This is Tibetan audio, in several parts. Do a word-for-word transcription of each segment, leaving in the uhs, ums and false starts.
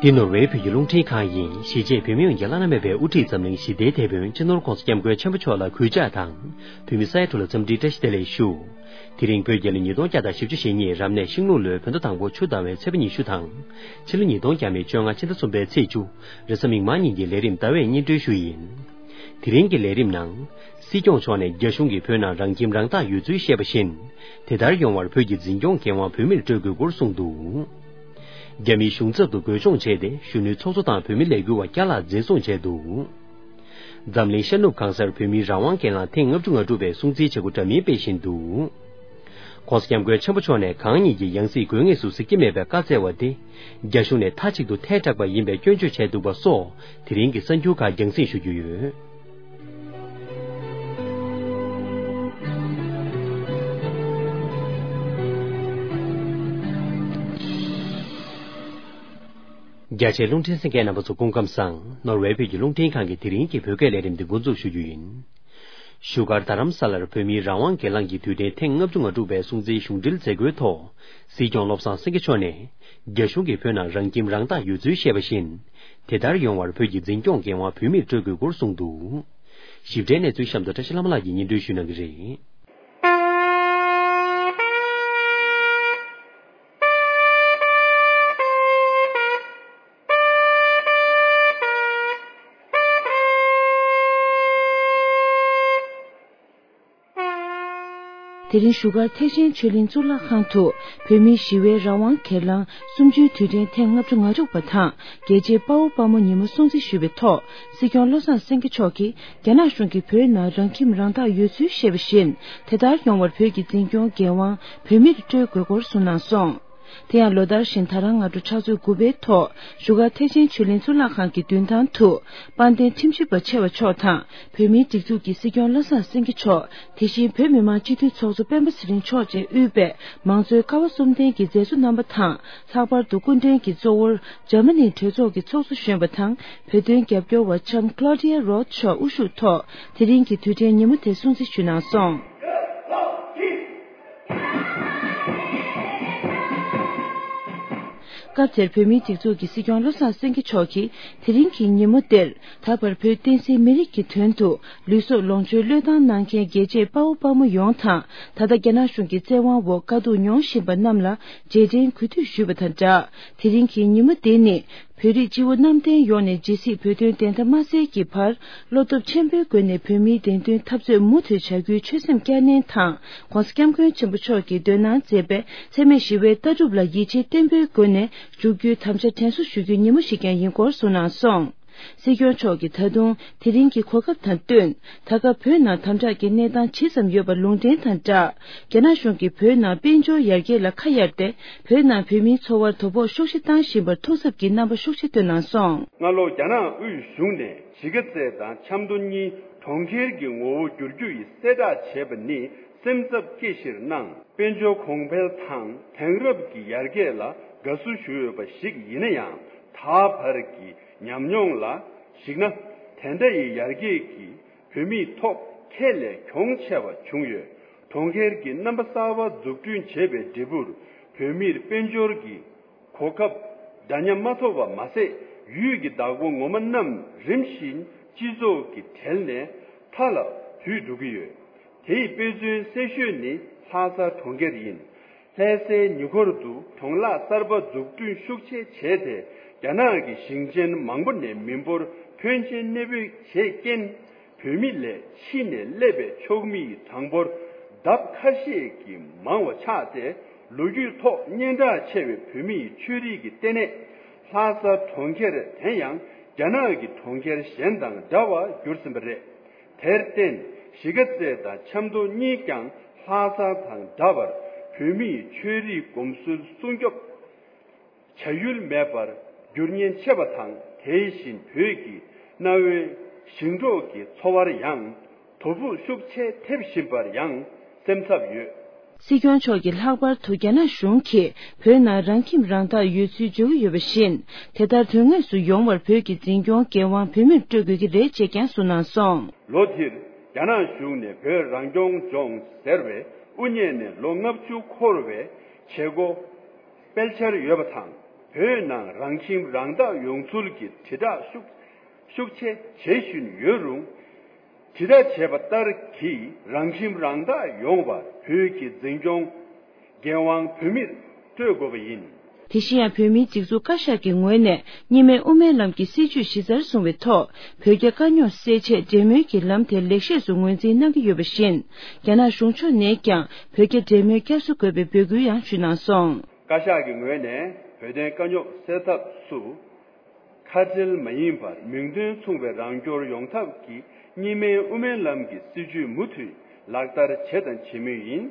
འདི་ནོར་ཝེ་བོད་ཀྱི་རླུང་འཕྲིན་ཁང་ཡིན། གཞིས་བྱེས་བོད་མི་ཡོངས་ཀྱི་བླ་ན་མེད་པའི་དབུ་ཁྲིད་འཛམ་གླིང་ཞི་བདེའི་དེད་དཔོན་སྤྱི་ནོར་༸གོང་ས་༸སྐྱབས་མགོན་ཆེན་པོ་མཆོག་ལ་གུས་ཕྱག་དང་། བོད་མི་ས་ཡ་དྲུག་ལ་འཚམས་འདྲིའི་བཀྲ་ཤིས་བདེ་ལེགས་ཞུ། དེ་རིང་བོད་རྒྱལ་ལོ་ཉིས་སྟོང་བརྒྱ་དང་བཞི་བཅུ་ཞེ་གཉིས་རབ་གནས་ཤིང་ལུག་ལོའི་བོད་ཟླ་དང་པོ་ཆུ་ཟླ་བའི་ཚེས་པ་ཉི་ཤུ་དང་། ཕྱི་ལོ་ཉིས་སྟོང་བརྒྱ་མེད་བཅོ་ལྔ་ཕྱི་ཟླ་གསུམ་པའི་ཚེས་བཅུ། རེས་གཟའ་མིག་དམར་ཉིན་གྱི་ལས་རིམ་ཟླ་བས་སྙན་སྒྲོན་ཞུ་ཡིན། དེ་རིང་གི་ལས་རིམ་ནང་། སྲིད་སྐྱོང་མཆོག་ནས་རྒྱ་གཞུང་གིས་བོད་ནང་རང་ཁྱིམ་རང་བདག་ཡོད་ཚུལ་བཤད་པ་བཞིན། དེ་ལྟར་ཡོང་བར་བོད་ཀྱི་འཛིན་སྐྱོང་འགན་དབང་བོད་མིར་སྤྲོད་དགོས་སྐོར་གསུངས་འདུག་རྒྱ་མིའི་གཞུང་ཚབ་ཏུ་འགོས་སྦྱོང་བྱས་ཏེ། གཞོན་ནུའི་ཚོགས་གཙོ་དང་བོད་མི་ལས་འགུལ་བ་བརྒྱ་ལྷག་འཛིན་བཟུང་བྱས་འདུག་འཛམ་གླིང་ཤར་ནུབ་གང་སར་བོད་མིའི་རང་དབང་སྒེར་ལངས་ཐེངས་ལྔ་བཅུ་ང་དྲུག་པའི་སྲུང་བརྩིའི་བྱེད་སྒོ་འདྲ་མིན་སྤེལ་བཞིན་འདུག ༸གོང་ས་༸སྐྱབས་མགོན་ཆེན་པོ་མཆོག་ནས་གང་ཉིད་ཀྱི་ཡང་སྲིད་དགོས་ངེས་སུ་གཟིགས་ཀྱི་མེད་པའི་བཀའ་སྩལ་བ་དེ། རྒྱ་གཞུང་ནས་མཐའ་གཅིག་ཏུ་ཐལ་དྲགས་པ་ཡིན་པའི་སྐྱོན་བརྗོད་བྱས་འདུག་པ་སོགས་དེ་རིང་གི་གསར་འགྱུར་ཁག་རྒྱང་སྲིང་ཞུ་རྒྱུ་ཡོད། རྒྱ་ཆེའི་རླུང་འཕྲིན་གསན་མཁན་རྣམ་པ་ཚོ་སྐུ་ཁམས་བཟང་། ནོར་ཝེ་བོད་ཀྱི་རླུང་འཕྲིན་ཁང་གི་དེ་རིང་གི་བོད་སྐད་ལས་རིམ་འདི་འགོ་འཛུགས་ཞུ་རྒྱུ་ཡིན། བཞུགས་སྒར་རྡ་རམ་ས་ལར་བོད་མིའི་རང་དབང་སྒེར་ལངས་ཀྱི་དུས་དྲན་ཐེངས་ལྔ་བཅུ་ང་དྲུག་པའི་སྲུང་བརྩིའི་གཞུང་འབྲེལ་མཛད་སྒོའི་ཐོག་སྲིད་སྐྱོང་བློ་བཟང་སེང་གེ་མཆོག་ནས། རྒྱ་གཞུང་གིས་བོད་ནང་རང་ཁྱིམ་རང་བདག་ཡོད་ཚུལ་བཤད་པ་བཞིན། དེ་ལྟར་ཡོང་བར་བོད་ཀྱི་འཛིན་སྐྱོང་འགན་དབང་བོད་མིར་སྤྲོད་དགོས་སྐོར་གསུངས་འདུག་ཞིབ་ཕྲའི་གནས་ཚུལ་གཤམ་དུ་བཀྲ་ཤིས་ལྷ་མོ་ལགས་ཀྱིས་སྙན་སྒྲོན་ཞུ་གནང་གི་རེད། དེ་རིང་བཞུགས་སྒར་ཐེག་ཆེན་ཆོས་གླིང་གཙུག་ལག་ཁང་དུ་བོད་མིའི་ཞི་བའི་རང་དབང་སྒེར་ལངས་གསུམ་བཅུའི་དུས་དྲན་ཐེངས་ལྔ་བཅུ་ང་དྲུག་པ་དང་རྒྱལ་གཅེས་དཔའ་བོ་དཔའ་མོ་ཉིན་མོ་སྲུང་བརྩི་ཞུས་པའི་ཐོག་སྲིད་སྐྱོང་བློ་བཟང་སེང་གེ་མཆོག་གིས་རྒྱ་ནག་གཞུང་གིས་བོད་ནང་རང་ཁྱིམ་རང་བདག་ཡོད་ཚུལ་བཤད་པ་བཞིན་དེ་ལྟར་ཡོང་བར་བོད་ཀྱི་འཛིན་སྐྱོང་འགན་དབང་བོད་མིར་སྤྲོད་དགོས་སྐོར་གསུངས་གནང་སོང་། དེ་ཡང་ལོ་ལྟར་བཞིན་ད་རང་སྔ་དྲོ་ཕྱག་ཚོད་དགུ་པའི་ཐོག་བཞུགས་སྒར་ཐེག་ཆེན་ཆོས་གླིང་གཙུག་ལག་ཁང་གི་མདུན་ཐང་དུ་དཔལ་ལྡན་ཁྲིམས་ཞིབ་པ་ཆེ་བ་མཆོག་དང་བོད་མིའི་སྒྲིག་འཛུགས་ཀྱི་སྲིད་སྐྱོང་བློ་བཟང་སེང་གེ་མཆོག་དེ་བཞིན་བོད་མི་མང་སྤྱི་འཐུས་ཚོགས་གཙོ་སྤེན་པ་ཚེ་རིང་མཆོག་བཅས་དབུས་པའི་མང་གཙོའི་ཀ་བ་གསུམ་ལྡན་གྱི་མཛད་གཙོ་རྣམ་པ་དང་ལྷག་པར་དུ་སྐུ་མགྲོན་གྱི་གཙོ་བོར་འཇར་མ་ནིའི་གྲོས་ཚོགས་ཀྱི་ཚོགས་གཙོ་གཞོན་པ་དང་བོད་དོན་རྒྱབ་སྐྱོར་བ་ལྕམ་Claudia Roth་མཆོག་དབུ་བཞུགས་ཐོག་དེ་རིང་གི་དུས་དྲན་ཉིན་མོ་དེ་སྲུང་བརྩི་ཞུས་གནང་སོང་། སྐབས་དེར་བོད་མིའི་སྒྲིག་འཛུགས་ཀྱི་སྲིད་སྐྱོང་བློ་བཟང་སེང་གེ་མཆོག་གིས་དེ་རིང་གི་ཉིན་མོ་འདིར་ད་བར་བོད་བསྟན་སྲིད་མི་རིགས་ཀྱི་དོན་དུ་ལུས་སྲོག་ལོངས་སྤྱོད་བློས་བཏང་གནང་མཁན་རྒྱལ་གཅེས་དཔའ་བོ་དཔའ་མོ་ཡོངས་དང་ད་ལྟ་རྒྱ་ནག་གཞུང་གི་བཙན་དབང་འོག་དཀའ་སྡུག་མྱོང་བཞིན་པ་རྣམས་ལ་རྗེས་དྲན་གུས་འདུད་ཞུས་པ་དང་སྦྲགས་དེ་རིང་གི་ཉིན་མོ་འདི་ནི། བོད་རིགས་སྤྱི་བོ་གནམ་བསྟན་ཡོངས་ནས་ཇི་སྲིད་བོད་དོན་བདེན་མཐའ་མ་གསལ་གྱི་བར་བློ་སྟོབས་ཆེན་པོའི་སྒོ་ནས་བོད་མིའི་བདེན་དོན་འཐབ་རྩོད་མུ་མཐུད་བྱ་རྒྱུའི་ཆོད་སེམས་བསྐྱར་ནན་དང་༸གོང་ས་༸སྐྱབས་མགོན་ཆེན་པོ་མཆོག་གིས་འདོན་གནང་མཛད་པའི་འཚེ་མེད་ཞི་བའི་ལྟ་གྲུབ་ལ་ཡིད་ཆེས་བརྟན་པོའི་སྒོ་ནས་འཇུག་རྒྱུའི་དམ་བཅའ་དྲན་གསོ་ཞུ་རྒྱུའི་ཉིན་མོ་ཞིག་ཀྱང་ཡིན་སྐོར་གསུངས་གནང་སོང་། སྲིད་སྐྱོང་མཆོག་གིས་ད་དུང་དེ་རིང་གི་གོ་སྐབས་དང་བསྟུན་ད་སྐབས་བོད་ནང་དམ་དྲག་གི་གནས་སྟངས་ཇི་ཙམ་ཡོད་པ་ལུང་འདྲེན་དང་སྦྲགས་རྒྱ་ནག་གཞུང་གིས་བོད་ནང་དཔལ་འབྱོར་ཡར་རྒྱས་ལ་ཁ་གཡར་ཏེ། བོད་ནང་བོད་མིའི་འཚོ་བར་དོ་ཕོག་ཤུགས་ཆེ་བཏང་བཞིན་པར་ཐུགས་འཚབ་ཀྱི་རྣམ་པ་ཤུགས་ཆེ་བཏོན་གནང་སོང་། སྔ་ལོ་རྒྱ་ནག་དབུས་གཞུང་ནས་གཞིས་ཀ་རྩེ་དང་ཆབ་མདོ་གཉིས་གྲོང་ཁྱེར་གྱི་ངོ་བོ་བསྒྱུར་རྒྱུ་ཡི་གསལ་བསྒྲགས་བྱས་པ་ནི་སེམས་འཚབ་སྐྱེ་གཞིར་སྣང་། དཔལ་འབྱོར་གོང་འཕེལ་དང་དེང་རབས་ཀྱི་ཡར་རྒྱས་ལ་དགའ་བསུ་ཞུ་འོས་པ་ཞིག་ཡིན་ན་ཡང་ད་བར་གྱི་ཉམས་མྱོང་ལ་གཞིགས་ན་དེ་འདྲ་ཡི་ཡར་རྒྱས་ཀྱིས། བོད་མིའི་ཐོག་ཁྱད་ལས་གྱོང་ཆེ་བ་བྱུང་ཡོད། གྲོང་ཁྱེར་གྱི་རྣམ་པ་གསར་པ་འཛུགས་སྐྲུན་བྱེད་པའི་འབྲས་བུར་བོད་མིར་དཔལ་འབྱོར་གྱི་གོ་སྐབས་འདྲ་མཉམ་མ་ཐོབ་པ་མ་ཟད་ཡུལ་གྱི་བདག་པོ་ངོ་མ་རྣམས་རིམ་བཞིན་སྤྱི་ཚོགས་ཀྱི་གྲལ་ནས་མཐའ་ལ་བུད་འགྲོ་གི་ཡོད། དེའི་དཔེ་མཚོན་གསལ་ཤོས་ནི་ལྷ་ས་གྲོང་ཁྱེར་ཡིན། ལྷ་སའི་ཉེ་འཁོར་དུ་གྲོང་ལྷག་གསར་པ་འཛུགས་སྐྲུན་ཤུགས་ཆེ་བྱས་ཏེ་རྒྱ་ནག་གི་ཞིང་ཆེན་མང་པོ་ནས་མི་འབོར་ཕོན་ཆེན་གནས་སྤོས་བྱས་རྐྱེན། བོད་མི་ལས་ཕྱི་ནས་སླེབས་པའི་ཕྱུགས་མིའི་གྲངས་འབོར་ལྡབ་ཁ་ཤས་ཀྱིས་མང་བ་ཆགས་ཏེ་ལོ་རྒྱུས་ཐོག་སྙན་གྲགས་ཆེ་བའི་བོད་མིའི་ཆོས་རིག་གི་ལྟེ་གནས་ལྷ་ས་གྲོང་ཁྱེར་དེ་ཡང་རྒྱ་ནག་གི་གྲོང་ཁྱེར་གཞན་དང་འདྲ་བར་གྱུར་ཟིན་པ་རེད། དེར་བརྟེན་གཞིས་ཀ་རྩེ་དང་ཆབ་མདོ་གཉིས་ཀྱང་ལྷ་ས་དང་འདྲ་བར་བོད་མིའི་ཆོས་རིག་གོམས་སྲོལ་སྲུང་སྐྱོབ་བྱ་ཡུལ་མེད་པར་འགྱུར་ཉེན་ཆེ་བ་དང་དེ་བཞིན་བོད་ཀྱི་གནའ་བོའི་ཞིང་འབྲོག་གི་འཚོ་བར་ཡང་དོ་ཕོག་ཤུགས་ཆེ་ཐེབས་བཞིན་པར་ཡང་སེམས་འཚབ་ཡོད། སྲིད་སྐྱོང་མཆོག་གིས་ལྷག་པར་དུ་རྒྱ་ནག་གཞུང་གིས་བོད་ནང་རང་ཁྱིམ་རང་བདག་ཡོད་ཚུལ་བརྗོད་ཀྱི་ཡོད་པ་བཞིན། དེ་ལྟར་དོན་དངོས་སུ་ཡོང་བར་བོད་ཀྱི་འཛིན་སྐྱོང་འགན་དབང་བོད་མིར་སྤྲོད་དགོས་ཀྱི་རེད་ཅེས་ཀྱང་གསུངས་གནང་སོང་། ལོ་འདིར་རྒྱ་ནག་གཞུང་ནས་བོད་རང་སྐྱོང་ལྗོངས་ཟེར་བའི་དབུ་བརྙེས་ནས་ལོ་ལྔ་བཅུ་འཁོར་བའི་བྱེད་སྒོ་སྤེལ་འཆར་ཡོད་པ་དང་ བོད་ནང་རང་ཁྱིམ་རང་བདག་ཡོང་ཚུལ་གྱི་དྲིལ་བསྒྲགས་ཤུགས་ཤུགས་ཆེ་བྱེད་བཞིན་ཡོད་རུང་། དྲིལ་བསྒྲགས་བྱས་པ་ལྟར་གྱི་རང་ཁྱིམ་རང་བདག་ཡོང་བར་བོད་ཀྱི་འཛིན་སྐྱོང་འགན་དབང་བོད་མིར་སྤྲོད་དགོས་པ་ཡིན། དེ་བཞིན་ཡང་བོད་མིའི་སྒྲིག་འཛུགས་བཀའ་ཤག་གི་ངོས་ནས་གཉིས་སྨན་དབུ་མའི་ལམ་གྱི་སྲིད་བྱུས་གཞི་རྩར་བཟུང་བའི་ཐོག་བོད་རྒྱ་དཀའ་རྙོག་སེལ་ཆེད་འབྲེལ་མོལ་གྱི་ལམ་དེ་ལེགས་ཤོས་སུ་ངོས་འཛིན་གནང་གི་ཡོད་པ་བཞིན། རྒྱ་ནག་གཞུང་ཕྱོགས་ནས་ཀྱང་བོད་རྒྱ་འབྲེལ་མོལ་བསྐྱར་གསོ་དགོས་པའི་འབོད་སྐུལ་ཡང་ཞུས་གནང་སོང་། བཀའ་ཤག་གི་ངོས་ནས་བོད་དོན་དཀའ་རྙོག་སེལ་ཐབས་སུ། ཁ་བྲལ་མ་ཡིན་པར་མིང་དོན་མཚུངས་པའི་རང་སྐྱོར་ཡོང་ཐབས་ཀྱི་གཉིས་སྨན་དབུ་མའི་ལམ་གྱི་སྲིད་བྱུས་མུ་མཐུད་ལག་བསྟར་བྱས་དང་བྱེད་མུས་ཡིན།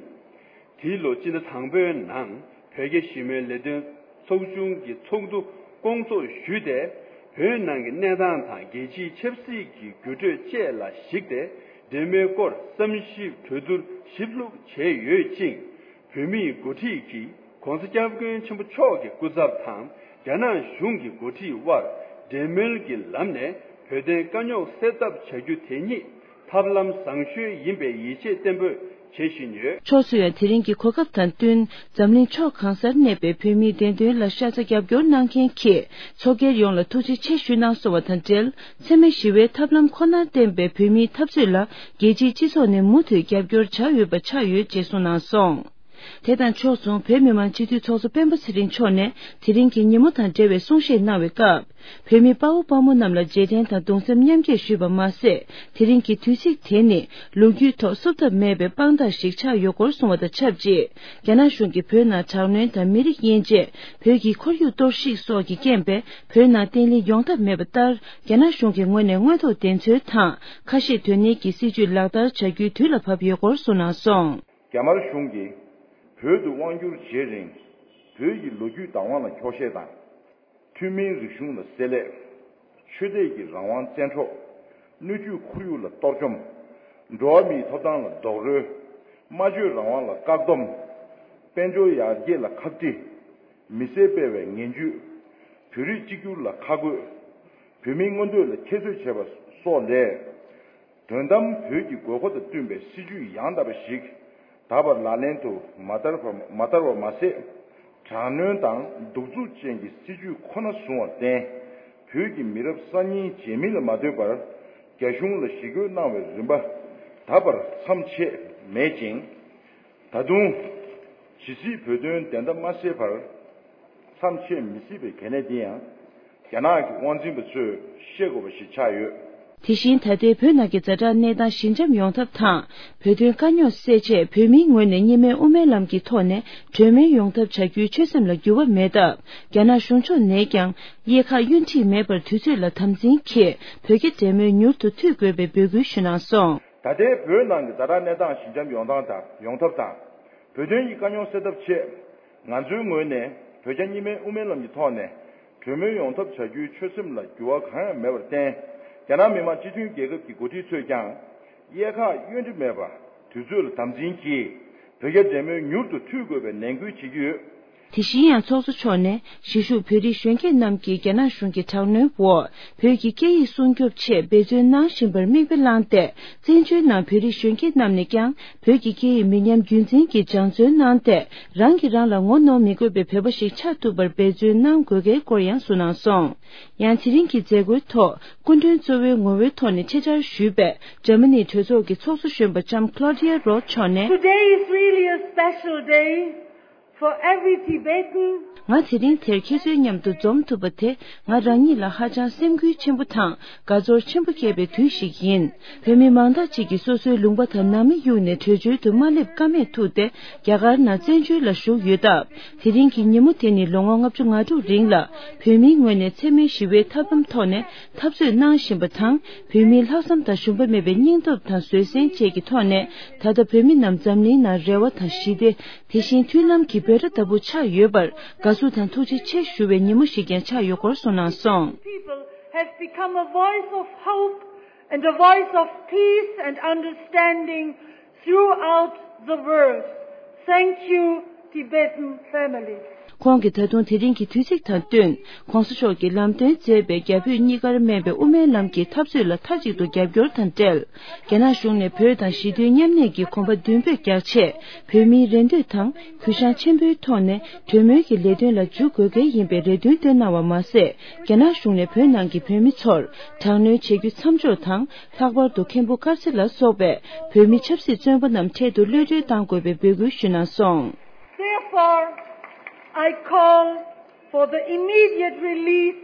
དེའི་ལོ་སྤྱི་ཟླ་དང་པོའི་ནང་བོད་རྒྱ་ཞི་མོལ་ལས་དོན་ཚོགས་ཆུང་གི་ཚོགས་འདུ་སྐོང་ཚོགས་ཞུས་ཏེ། བོད་ནང་གི་གནས་སྟངས་དང་རྒྱལ་སྤྱིའི་ཆབ་སྲིད་ཀྱི་འགྱུར་འགྲོས་བཅས་ལ་གཞིགས་ཏེ། འབྲེལ་མོལ་སྐོར་བསམ་ཞིབ་གྲོས་བསྡུར་ཞིབ་ལྷུག་བྱས་ཡོད་ཅིང་། བོད་མིའི་འགོ་ཁྲིད་ཀྱིས་༸གོང་ས་༸སྐྱབས་མགོན་ཆེན་པོ་མཆོག་གི་སྐུ་ཚབ་དང་རྒྱ་ནག་གཞུང་གི་འགོ་ཁྲིད་དབར་འབྲེལ་མོལ་གྱི་ལམ་ནས་བོད་དོན་དཀའ་རྙོག་སེལ་ཐབས་བྱ་རྒྱུ་དེ་ཉིད་ཐབས་ལམ་བཟང་ཤོས་ཡིན་པའི་ཡིད་ཆེས་བརྟན་པོས་བྱེད་བཞིན་ཡོད། ཕྱོགས་སུ་ཡང་དེ་རིང་གི་གོ་སྐབས་དང་བསྟུན། འཛམ་གླིང་ཕྱོགས་གང་སར་གནས་པའི་བོད་མིའི་བདེན་དོན་ལ་ཤ་ཚ་རྒྱབ་སྐྱོར་གནང་མཁན་གྱི་ཚོགས་སྒེར་ཡོངས་ལ་ཐུགས་རྗེ་ཆེ་ཞུས་གནང་སོང་བ་དང་འབྲེལ། འཚེ་མེད་ཞི་བའི་ཐབས་ལམ་ཁོ་ནར་བརྟེན་པའི་བོད་མིའི་འཐབ་རྩོད་ལ་རྒྱལ་སྤྱིའི་སྤྱི་ཚོགས་ནས་མུ་མཐུད་རྒྱབ་སྐྱོར་བྱ་འོས་པ་ཆགས་ཡོད་ཅེས་གསུངས་གནང་སོང་། དེ་དང་ཕྱོགས་མཚུངས་བོད་མི་མང་སྤྱི་འཐུས་ཚོགས་གཙོ་སྤེན་པ་ཚེ་རིང་མཆོག་ནས་དེ་རིང་གི་ཉིན་མོ་དང་འབྲེལ་བའི་གསུང་བཤད་གནང་བའི་སྐབས། བོད་མི་དཔའ་བོ་དཔའ་མོ་རྣམས་ལ་རྗེས་དྲན་དང་གདུང་སེམས་མཉམ་སྐྱེད་ཞུས་པ་མ་ཟད། དེ་རིང་གི་དུས་ཚིགས་དེ་ནི་ལོ་རྒྱུས་ཐོག་བསུབ་ཐབས་མེད་པའི་དཔང་རྟགས་ཤིག་ཆགས་ཡོད་སྐོར་གསུངས་པ་དང་ཆབས་ཅིག་རྒྱ་ནག་གཞུང་གིས་བོད་ནང་དྲག་གནོན་དང་མི་རིགས་དབྱེ་འབྱེད། བོད་ཀྱི་ཁོར་ཡུག་གཏོར་བཤིག་སོགས་ཀྱི་རྐྱེན་པས་བོད་ནང་བརྟན་ལྷིང་ཡོང་ཐབས་མེད་པ་ལྟར། རྒྱ་ནག་གཞུང་གི་ངོས་ནས་དངོས་ཐོག་བདེན་འཚོལ་དང་ཁ་ཞེ་དོན་ནན་གྱི་སྲིད་བྱུས་ལག་བསྟར་བྱ་རྒྱུའི་དུས་ལ་བབ་ཡོད་སྐོར་གསུངས་གནང་སོང་། རྒྱ་དམར་གཞུང་གིས་བོད་དུ་དབང་བསྒྱུར་བྱེད་རིང་། བོད་ཀྱི་ལོ་རྒྱུས་བདག་དབང་ལ་འཁྱོག་བཤད་དང་། ཐུན་མིན་རིག་གཞུང་ལ་བསྲེ་ལྷད། ཆོས་དད་ཀྱི་རང་དབང་བཙན་འཕྲོག་སྣོད་བཅུད་ཁོར་ཡུག་ལ་གཏོར་བཅོམ། འགྲོ་བ་མིའི་ཐོབ་ཐང་ལ་རྡོག་རོལ། སྨྲ་བརྗོད་རང་དབང་ལ་བཀག་སྡོམ། དཔལ་འབྱོར་ཡར་རྒྱས་ལ་ཁག་དཀྲི། མི་སེར་སྤེལ་བའི་ངན་ཇུས། བོད་རིགས་གཅིག་གྱུར་ལ་ཁ་རྒོད། བོད་མིའི་མངོན་འདོད་ལ་ཁྱད་གསོད་བྱས་པ་སོགས་ལས། དོན་དམ་བོད་ཀྱི་དགོས་མཁོ་དང་བསྟུན་པའི་སྲིད་ཇུས་ཡང་དག་པ་ཞིག་ད་བར་ལག་ལེན་དུ་མ་བསྟར་བ་མ་བསྟར་བ་མ་ཟད། དྲག་གནོན་དང་གདུག་རྩུབ་ཅན་གྱི་སྲིད་ཇུས་ཁོ་ན་བཟུང་བར་བརྟེན། བོད་ཀྱི་མི་རབས་གསར་རྙིང་རྗེས་མི་ལ་མ་ལྟོས་པར་རྒྱ་གཞུང་ལ་ཞི་རྒོལ་གནང་བའི་རིམ་པ་ད་བར་མཚམས་ཆད་མེད་ཅིང་། ད་དུང་། ཇི་སྲིད་བོད་དོན་བདེན་མཐའ་མ་གསལ་བར་མཚམས་ཆད་མི་སྲིད་པའི་གལ་གནད་འདི་ཡང་། རྒྱ་ནག་གི་དབང་འཛིན་པ་ཚོས་ཤེས་དགོས་པ་ཞིག་ཆགས་ཡོད། དེ་བཞིན་ད་ལྟའི་བོད་ནང་གི་ཛ་དྲག་གནས་སྟངས་ཞི་འཇམ་ཡོང་ཐབས་དང་། བོད་དོན་དཀའ་རྙོག་སེལ་ཆེད་བོད་མིའི་ངོས་ནས་གཉིས་སྨན་དབུ་མའི་ལམ་གྱི་ཐོག་ནས་གྲོས་མོལ་ཡོང་ཐབས་བྱ་རྒྱུའི་ཆོད་སེམས་ལ་འགྱུར་བ་མེད་སྟབས། རྒྱ་ནག་གཞུང་ཕྱོགས་ནས་ཀྱང་གཡས་ཁ་གཡོན་ཁྲིད་མེད་པར་དུས་ཚོད་ལ་དམ་འཛིན་གྱིས་བོད་རྒྱ་འབྲེལ་མོལ་མྱུར་དུ་མཐུད་དགོས་པའི་འབོད་སྐུལ་ཞུས་གནང་སོང་། ད་ལྟའི་བོད་ནང་གི་ཛ་དྲག་གནས་སྟངས་ཞི་འཇམ་ཡོང་སྟངས་དང་ཡོང་ཐབས་དང་། བོད་དོན་གྱི་དཀའ་རྙོག་སེལ་ཐབས་ཆེད། ང་ཚོའི་ངོས་ནས་བོད་རྒྱ་གཉིས་སྨན་དབུ་མའི་ལམ་གྱི་ཐོག་ནས་གྲོས་མོལ་ཡོང་ཐབས་བྱ་རྒྱུའི་ཆོད་སེམས་ལ་འགྱུར་བ་གང་ཡང་མེད་པར་བརྟེན། རྒྱ་ནག་མི་དམངས་སྤྱི་མཐུན་རྒྱལ་ཁབ་ཀྱི་འགོ་ཁྲིད་ཚོས་ཀྱང་། གཡས་ཁ་གཡོན་ཁྲིད་མེད་པར་དུས་ཚོད་ལ་དམ་འཛིན་གྱིས་བོད་རྒྱ་འབྲེལ་མོལ་མྱུར་དུ་མཐུད་དགོས་པའི་ནན་སྐུལ་བྱེད་ཀྱི་ཡོད། དེ་བཞིན་ཡང་ཚོགས་གཙོ་མཆོག་ནས་གཞིས་བཞུགས་བོད་རིགས་གཞོན་སྐྱེས་རྣམས་ཀྱིས་རྒྱ་ནག་གཞུང་གི་དྲག་གནོན་འོག་བོད་ཀྱི་སྐད་ཡིག་སྲུང་སྐྱོབ་ཆེད་འབད་བརྩོན་གནང་བཞིན་པར་མིག་དཔེ་བླངས་ཏེ། བཙན་བྱོལ་ནང་བོད་རིགས་གཞོན་སྐྱེས་རྣམས་ནས་ཀྱང་བོད་ཀྱི་སྐད་ཡིག་མི་ཉམས་རྒྱུན་འཛིན་གྱིས་སྦྱང་བརྩོན་གནང་སྟེ། རང་གིས་རང་ལ་ངོ་གནོང་མི་དགོས་པའི་བོད་པ་ཞིག་ཆགས་ཐུབ་པར་འབད་བརྩོན་གནང་དགོས་གལ་སྐོར་ཡང་གསུངས་གནང་སོང་། ཡང་དེ་རིང་གི་མཛད་སྒོའི་ཐོག་སྐུ་མགྲོན་གཙོ་བོའི་ངོ་བོའི་ཐོག་ནས་ཆེད་བཅར་ཞུས་པའི་འཇར་མ་ནིའི་གྲོས་ཚོགས་ཀྱི་ཚོགས་གཙོ་གཞོན་པ་ལྕམ་Claudia Roth་མཆོག་ནས། Today is really a special day for every Tibetan. ང་དེ་རིང་དེར་ཁྱེད་ཚོའི་མཉམ་དུ་འཛོམས་ཐུབ་པ་དེ་ང་རང་ཉིད་ལ་ཧ་ཅང་སེམས་འགུལ་ཆེན་པོ་དང་དགའ་ཚོར་ཆེན་པོ་སྐྱེས་པའི་དུས་ཤིག་ཡིན། བོད་མི་མང་དག་ཅིག་གིས་སོ་སོའི་ལུང་པ་དང་ནང་མི་གཡུགས་ནས་བྲོས་བྱོལ་དུ་མ་སླེབས་ཀ་མེད་ཐུག་སྟེ་རྒྱ་གར་ནང་བཙན་བྱོལ་ལ་བཞུགས་ཡོད་སྟབས། དེ་རིང་གི་ཉིན་མོ་དེ་ནི་ལོ་ངོ་ལྔ་བཅུ་ང་དྲུག་རིང་ལ་བོད་མིའི་ངོས་ནས་འཚེ་མེད་ཞི་བའི་ཐབས་ལམ་ཐོག་ནས་འཐབ་རྩོད་གནང་བཞིན་པ་དང་། བོད་མིའི་ལྷག་བསམ་དང་ཞུམ་པ་མེད་པའི་སྙིང་སྟོབས་དང་བཟོད་བསྲན་བཅས་ཀྱི་ཐོག་ནས་ད་ལྟ་བོད་མི་རྣམས་འཛམ་གླིང་ནང་རེ་བ་དང་ཞི་བདེ། དེ་བཞིན་མཐུན་ལམ་གྱི་འབོད་སྒྲ་ལྟ་བུ་ཆགས་ཡོད་པར་དགའ་བསུ་དང་ཐུགས་རྗེ་ཆེ་ཞུ་བའི་ཉིན་མོ་ཞིག་ཀྱང་ཆགས་ཡོད་སྐོར་གསུངས་གནང་སོང་། People have become a voice of hope and a voice of peace and understanding throughout the world. Thank you, Tibetan families. ཁོང་གིས་ད་དུང་དེ་རིང་གི་དུས་ཚིགས་དང་བསྟུན། ྋགོང་ས་མཆོག་གིས་ལམ་སྟོན་མཛད་པའི་རྒྱ་བོད་གཉིས་ཀར་སྨན་པའི་དབུ་མའི་ལམ་གྱི་འཐབ་རྩོད་ལ་མཐའ་གཅིག་ཏུ་རྒྱབ་སྐྱོར་དང་འབྲེལ། རྒྱ་ནག་གཞུང་ནས་བོད་དང་ཞི་མཐུན་མཉམ་གནས་ཀྱི་གོམ་པ་མདུན་སྤོས་རྒྱག་ཆེད། བོད་མིའི་རེ་འདོད་དང་གུས་ཞབས་ཆེན་པོའི་ཐོག་ནས་གྲོས་མོལ་གྱི་ལས་དོན་ལ་འཇུག་དགོས་གལ་ཡིན་པའི་རེ་འདུན་བཏོན་གནང་བ་མ་ཟད། རྒྱ་ནག་གཞུང་ནས་བོད་ནང་གི་བོད་མི་ཚོར་དྲག་གནོན་བྱེད་རྒྱུ་མཚམས་འཇོག་དང་། ལྷག་པར་དུ་མཁན་པོ་དཀར་ཚེ་ལ་སོགས་པའི་བོད་མི་ཆབ་སྲིད་བཙོན་པ་རྣམས་འཕྲལ་དུ་གློད་གྲོལ་གཏང་དགོས་པའི་འབོད་སྐུལ་ཞུས་གནང་སོང་། Therefore, I call for the immediate release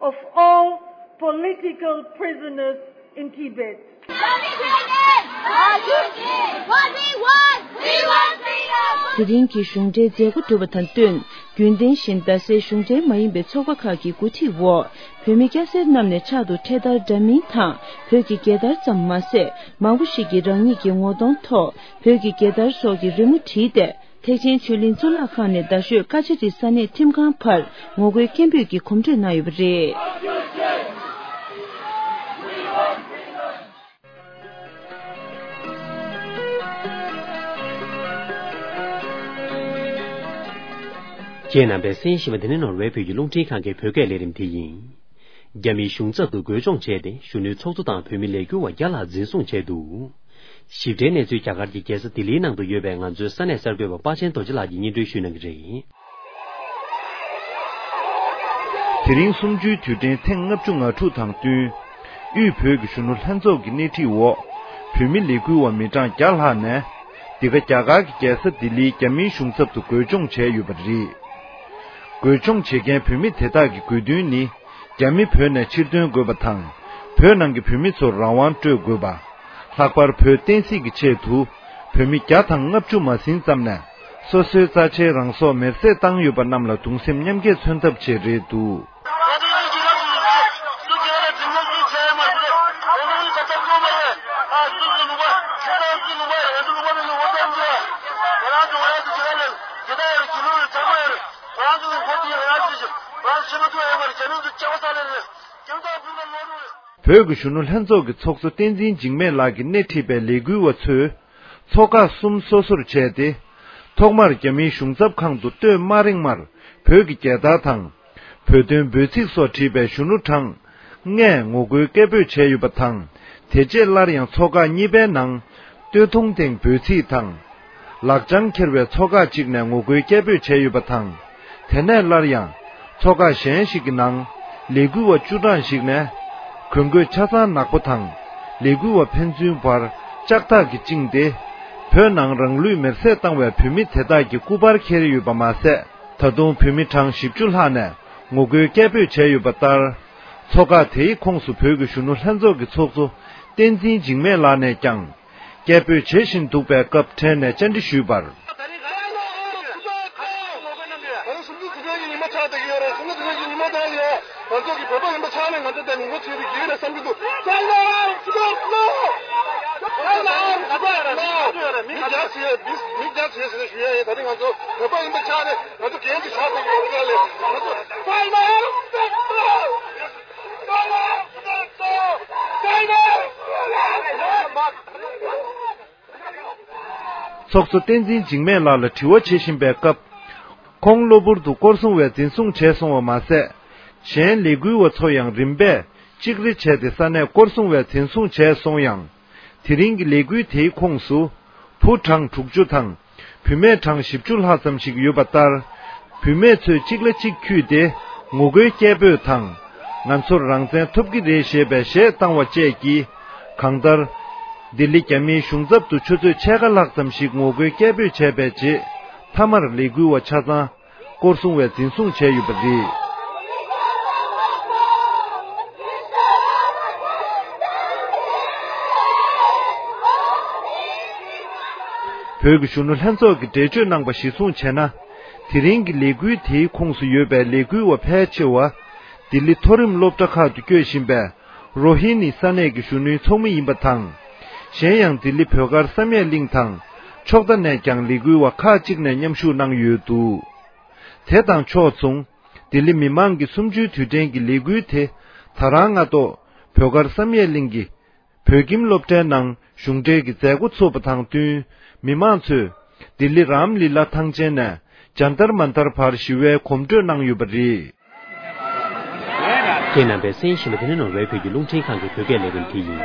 of all political prisoners in Tibet. དེ་རིང་གི་གཞུང་འབྲེལ་མཛད་སྒོ་གྲུབ་པ་དང་བསྟུན། རྒྱུན་ལྡན་བཞིན་རྡ་སའི་གཞུང་འབྲེལ་མ་ཡིན་པའི་ཚོགས་པ་ཁག་གི་འགོ་ཁྲིད་འོག་བོད་མི་སྐྱ་སེར་རྣམས་ནས་ཕྱག་ཏུ་འཕྲེད་དར་འདྲ་མིན་དང་བོད་ཀྱི་རྒྱལ་དར་ཙམ་མ་ཟད། མང་པོ་ཞིག་གིས་རང་ཉིད་ཀྱི་ངོ་གདོང་ཐོག་བོད་ཀྱི་རྒྱལ་དར་སོགས་ཀྱི་རི་མོ་བྲིས་ཏེ། ཐེག་ཆེན་ཆོས་གླིང་གཙུག་ལག་ཁང་ནས་རྡ་ཤོད་ཀ་ཅ་རི་ས་གནས་ཁྲིམས་ཁང་བར་ངོ་རྒོལ་སྐད་འབོད་ཀྱི་གོམ་བགྲོད་གནང་ཡོད་པ་རེད། ཁྱེད་རྣམ་པས་གསན་བཞིན་པ་འདི་ནི་ནོར་ཝེ་བོད་ཀྱི་རླུང་འཕྲིན་ཁང་གི་བོད་སྐད་ལས་རིམ་དེ་ཡིན། རྒྱ་མིའི་གཞུང་ཚབ་ཏུ་རྒོལ་སྦྱོང་བྱས་ཏེ་གཞོན་ནུའི་ཚོགས་གཙོ་དང་བོད་མི་ལས་འགུལ་བ་བརྒྱ་ལྷག་འཛིན་བཟུང་བྱས་འདུག། ཞིབ་ཕྲའི་གནས་ཚུལ་རྒྱ་གར་གྱི་རྒྱལ་ས་ལྡི་ལིའི་ནང་དུ་ཡོད་པའི་ང་ཚོའི་ས་གནས་གསར་འགོད་པ་དཔའ་ཆེན་རྡོ་རྗེ་ལགས་ཀྱིས་སྙན་སྒྲོན་ཞུ་གནང་གི་རེད། དེ་རིང་གསུམ་བཅུའི་དུས་དྲན་ཐེངས་ལྔ་བཅུ་ང་དྲུག་དང་བསྟུན། དབུས་བོད་ཀྱི་གཞོན་ནུ་ལྷན་ཚོགས་ཀྱི་སྣེ་ཁྲིད་འོག་བོད་མི་ལས་འགུལ་བ་མི་གྲངས་བརྒྱ་ལྷག་ནས། འདི་ག་རྒྱ་གར་གྱི་རྒྱལ་ས་ལྡི་ལིའི་རྒྱ་མིའི་གཞུང་ཚབ་ཏུ་རྒོལ་སྦྱོང་བྱས་ཡོད་པ་རེད། རྒོལ་སྦྱོང་བྱེད་མཁན་བོད་མི་དེ་དག་གི་དགོས་འདུན་ནི། རྒྱ་མི་བོད་ནས་ཕྱིར་འདོན་དགོས་པ་དང་། བོད་ནང་གི་བོད་མི་ཚོར་རང་དབང་སྤྲོད་དགོས་པ། ལྷག་པར་བོད་བསྟན་སྲིད་ཀྱི་ཆེད་དུ་བོད་མི་བརྒྱ་དང་ལྔ་བཅུ་མ་ཟིན་ཙམ་ནས་སོ་སོའི་རྩ་ཆེའི་རང་སྲོག་མེར་སྲེག་བཏང་ཡོད་པ་རྣམས་ལ་གདུང་སེམས་མཉམ་སྐྱེད་མཚོན་ཐབས་ཆེད་རེད་འདུག། བོད་ཀྱི་གཞོན་ནུ་ལྷན་ཚོགས་ཀྱི་ཚོགས་གཙོ་བསྟན་འཛིན་འཇིགས་མེད་ལགས་ཀྱིས་སྣེ་ཁྲིད་པའི་ལས་འགུལ་བ་ཚོས་ཚོགས་ཁག་གསུམ་སོ་སོར་བྱས་ཏེ། ཐོག་མར་རྒྱ་མིའི་གཞུང་ཚབ་ཁང་དུ་སྟོད་དམའ་རིང་མར་བོད་ཀྱི་རྒྱལ་དར་དང་། བོད་དོན་འབོད་ཚིག་སོགས་བྲིས་པའི་གཞོན་ནུ་གྲངས་ལྔས་ངོ་རྒོལ་སྐད་འབོད་བྱས་ཡོད་པ་དང་། དེ་རྗེས་སླར་ཡང་ཚོགས་ཁག་གཉིས་པའི་ནང་སྟོད་ཐུང་སྟེང་འབོད་ཚིག་དང་། ལག་བཅངས་འཁྱེར་བའི་ཚོགས་ཁག་ཅིག་ནས་ངོ་རྒོལ་སྐད་འབོད་བྱས་ཡོད་པ་དང་། དེ་ནས་སླར་ཡང་ཚོགས་ཁག་གཞན་ཞིག་གི་ནང་ལས་འགུལ་བ་བཅུ་གྲངས་ཤིག་ནས་གོས་གོས་ཆ་ཚང་ནག་པོ་དང་ལས་འགུལ་བ་ཕན་ཚུན་བར་ལྕགས་ཐག་གིས་བཅིངས་ཏེ། བོད་ནང་རང་ལུས་མེར་སྲེག་བཏང་བའི་བོད་མི་དེ་དག་གི་སྐུ་པར་འཁྱེར་ཡོད་པ་མ་ཟད། ད་དུང་བོད་མི་གྲངས་བཞི་བཅུ་ལྷག་ནས་ངོ་རྒོལ་སྐད་འབོད་བྱས་ཡོད་པ་ལྟར། ཚོགས་ཁག་དེའི་ཁོངས་སུ་བོད་ཀྱི་གཞོན་ནུ་ལྷན་ཚོགས་ཀྱི་ཚོགས་གཙོ་བསྟན་འཛིན་འཇིགས་མེད་ལགས་ནས་ཀྱང་། སྐད་འབོད་བྱེད་བཞིན་འདུག་པའི་སྐབས་འཕྲལ་ནས་བཅར་འདྲི་ཞུས་པར། ང་ཚོ་གི་བོད་པ་ཡིན་པ་ཆགས་བསྡད་ཀྱི་ཡོད་རེད། ང་ཚོ་གི་བོད་པ་ཡིན་པ་ཆགས་ནས་ང་ཚོ་དེ་ངོ་ཚ་ཡོད་ཀྱི་རེད་བསམ་གྱི་འདུག། མི་རྒྱ་ཆེ་མི་རྒྱ་ཆེ་ཟེར་ནས་ཞུ་ཡ་ཡིན། ད་རིང་ང་ཚོ་བོད་པ་ཡིན་པ་ཆགས་ནས་ང་ཚོ་གལ་ཏེ་ཆགས་བསྡད་ཀྱི་ཡོད་རེད་ལས་ང་ཚོ། ཚོགས་གཙོ་བསྟན་འཛིན་འཇིགས་མེད་ལགས་ལ་དྲི་བ་བྱེད་བཞིན་པའི་སྐབས། ཁོང་གློ་བུར་དུ་སྐོར་སྲུང་བས་འཛིན་བཟུང་བྱས་སོང་བ་མ་ཟད། གཞན་ལས་འགུལ་བ་ཚོ་ཡང་རིམ་པས་གཅིག་རེ་བྱས་ཏེ་ས་གནས་སྐོར་སྲུང་བས་འཛིན་བཟུང་བྱས་སོང་ཡང་། དེ་རིང་གི་ལས་འགུལ་དེའི་ཁོངས་སུ། བུ་གྲངས་དྲུག་ཅུ་དང་། བུད་མེད་གྲངས་བཞི་བཅུ་ལྷག་ཙམ་ཞིག་ཡོད་པ་ལྟར། བུད་མེད་ཚོས་གཅིག་ལ་གཅིག་འཁྱུད་དེ་ངོ་རྒོལ་སྐད་འབོད་དང་། ང་ཚོར་རང་བཙན་ཐོབ་ཀྱི་རེད་ཞེས་པའི་གཞས་བཏང་བ་བཅས་ཀྱིས། གང་ལྟར། ལྡི་ལི་རྒྱ་མིའི་གཞུང་ཚབ་ཏུ་ཆུ་ཚོད་ཕྱེད་ཀ་ལྷག་ཙམ་ཞིག་ངོ་རྒོལ་སྐད་འབོད་བྱས་པའི་རྗེས། མཐའ་མར་ལས་འགུལ་བ་ཆ་ཚང་། སྐོར་སྲུང་བས་འཛིན་བཟུང་བྱས་ཡོད་པ་རེད། བོད་ཀྱི་གཞོན་ནུ་ལྷན་ཚོགས་ཀྱིས་འགྲེལ་བརྗོད་གནང་པ་གཞིར་བཟུང་བྱས་ན། དེ་རིང་གི་ལས་འགུལ་དེའི་ཁོངས་སུ་ཡོད་པའི་ལས་འགུལ་བ་ཕལ་ཆེ་བ། ལྡི་ལི་མཐོ་རིམ་སློབ་གྲྭ་ཁག་ཏུ་སྐྱོད་བཞིན་པའི་རོ་ཧི་ནི་ས་གནས་ཀྱི་གཞོན་ནུའི་ཚོགས་མི་ཡིན་པ་དང་། གཞན་ཡང་ལྡི་ལི་བོད་སྒར་བསམ་ཡས་གླིང་དང་ཕྱོགས་མཐའ་ནས་ཀྱང་ལས་འགུལ་བ་ཁག་ཅིག་ནས་མཉམ་ཞུགས་གནང་ཡོད་འདུག། དེ་དང་ཕྱོགས་མཚུངས། ལྡི་ལི་མི་མང་གི་གསུམ་བཅུའི་དུས་དྲན་གྱི་ལས་འགུལ་དེ་ད་རང་སྔ་ཐོག་བོད་སྒར་བསམ་ཡས་གླིང་གི་བོད་ཁྱིམ་སློབ་གྲྭའི་ནང་གཞུང་འབྲེལ་གྱི་མཛད་སྒོ་ཚུགས་པ་དང་བསྟུན། མི་མང་ཚོས་ལྡི་ལི་རམ་ལི་ལ་ཐང་ཆེན་ནས་ ཇཱན་ཏར་མན་ཏར་བར་ཞི་བའི་གོམ་བགྲོད་གནང་ཡོད་པ་རེད། ཁྱེད་རྣམ་པས་གསན་བཞིན་པ་དེ་ནི་ནོར་ཝེ་བོད་ཀྱི་རླུང་འཕྲིན་ཁང་གི་བོད་སྐད་ལས་རིམ་དེ་ཡིན།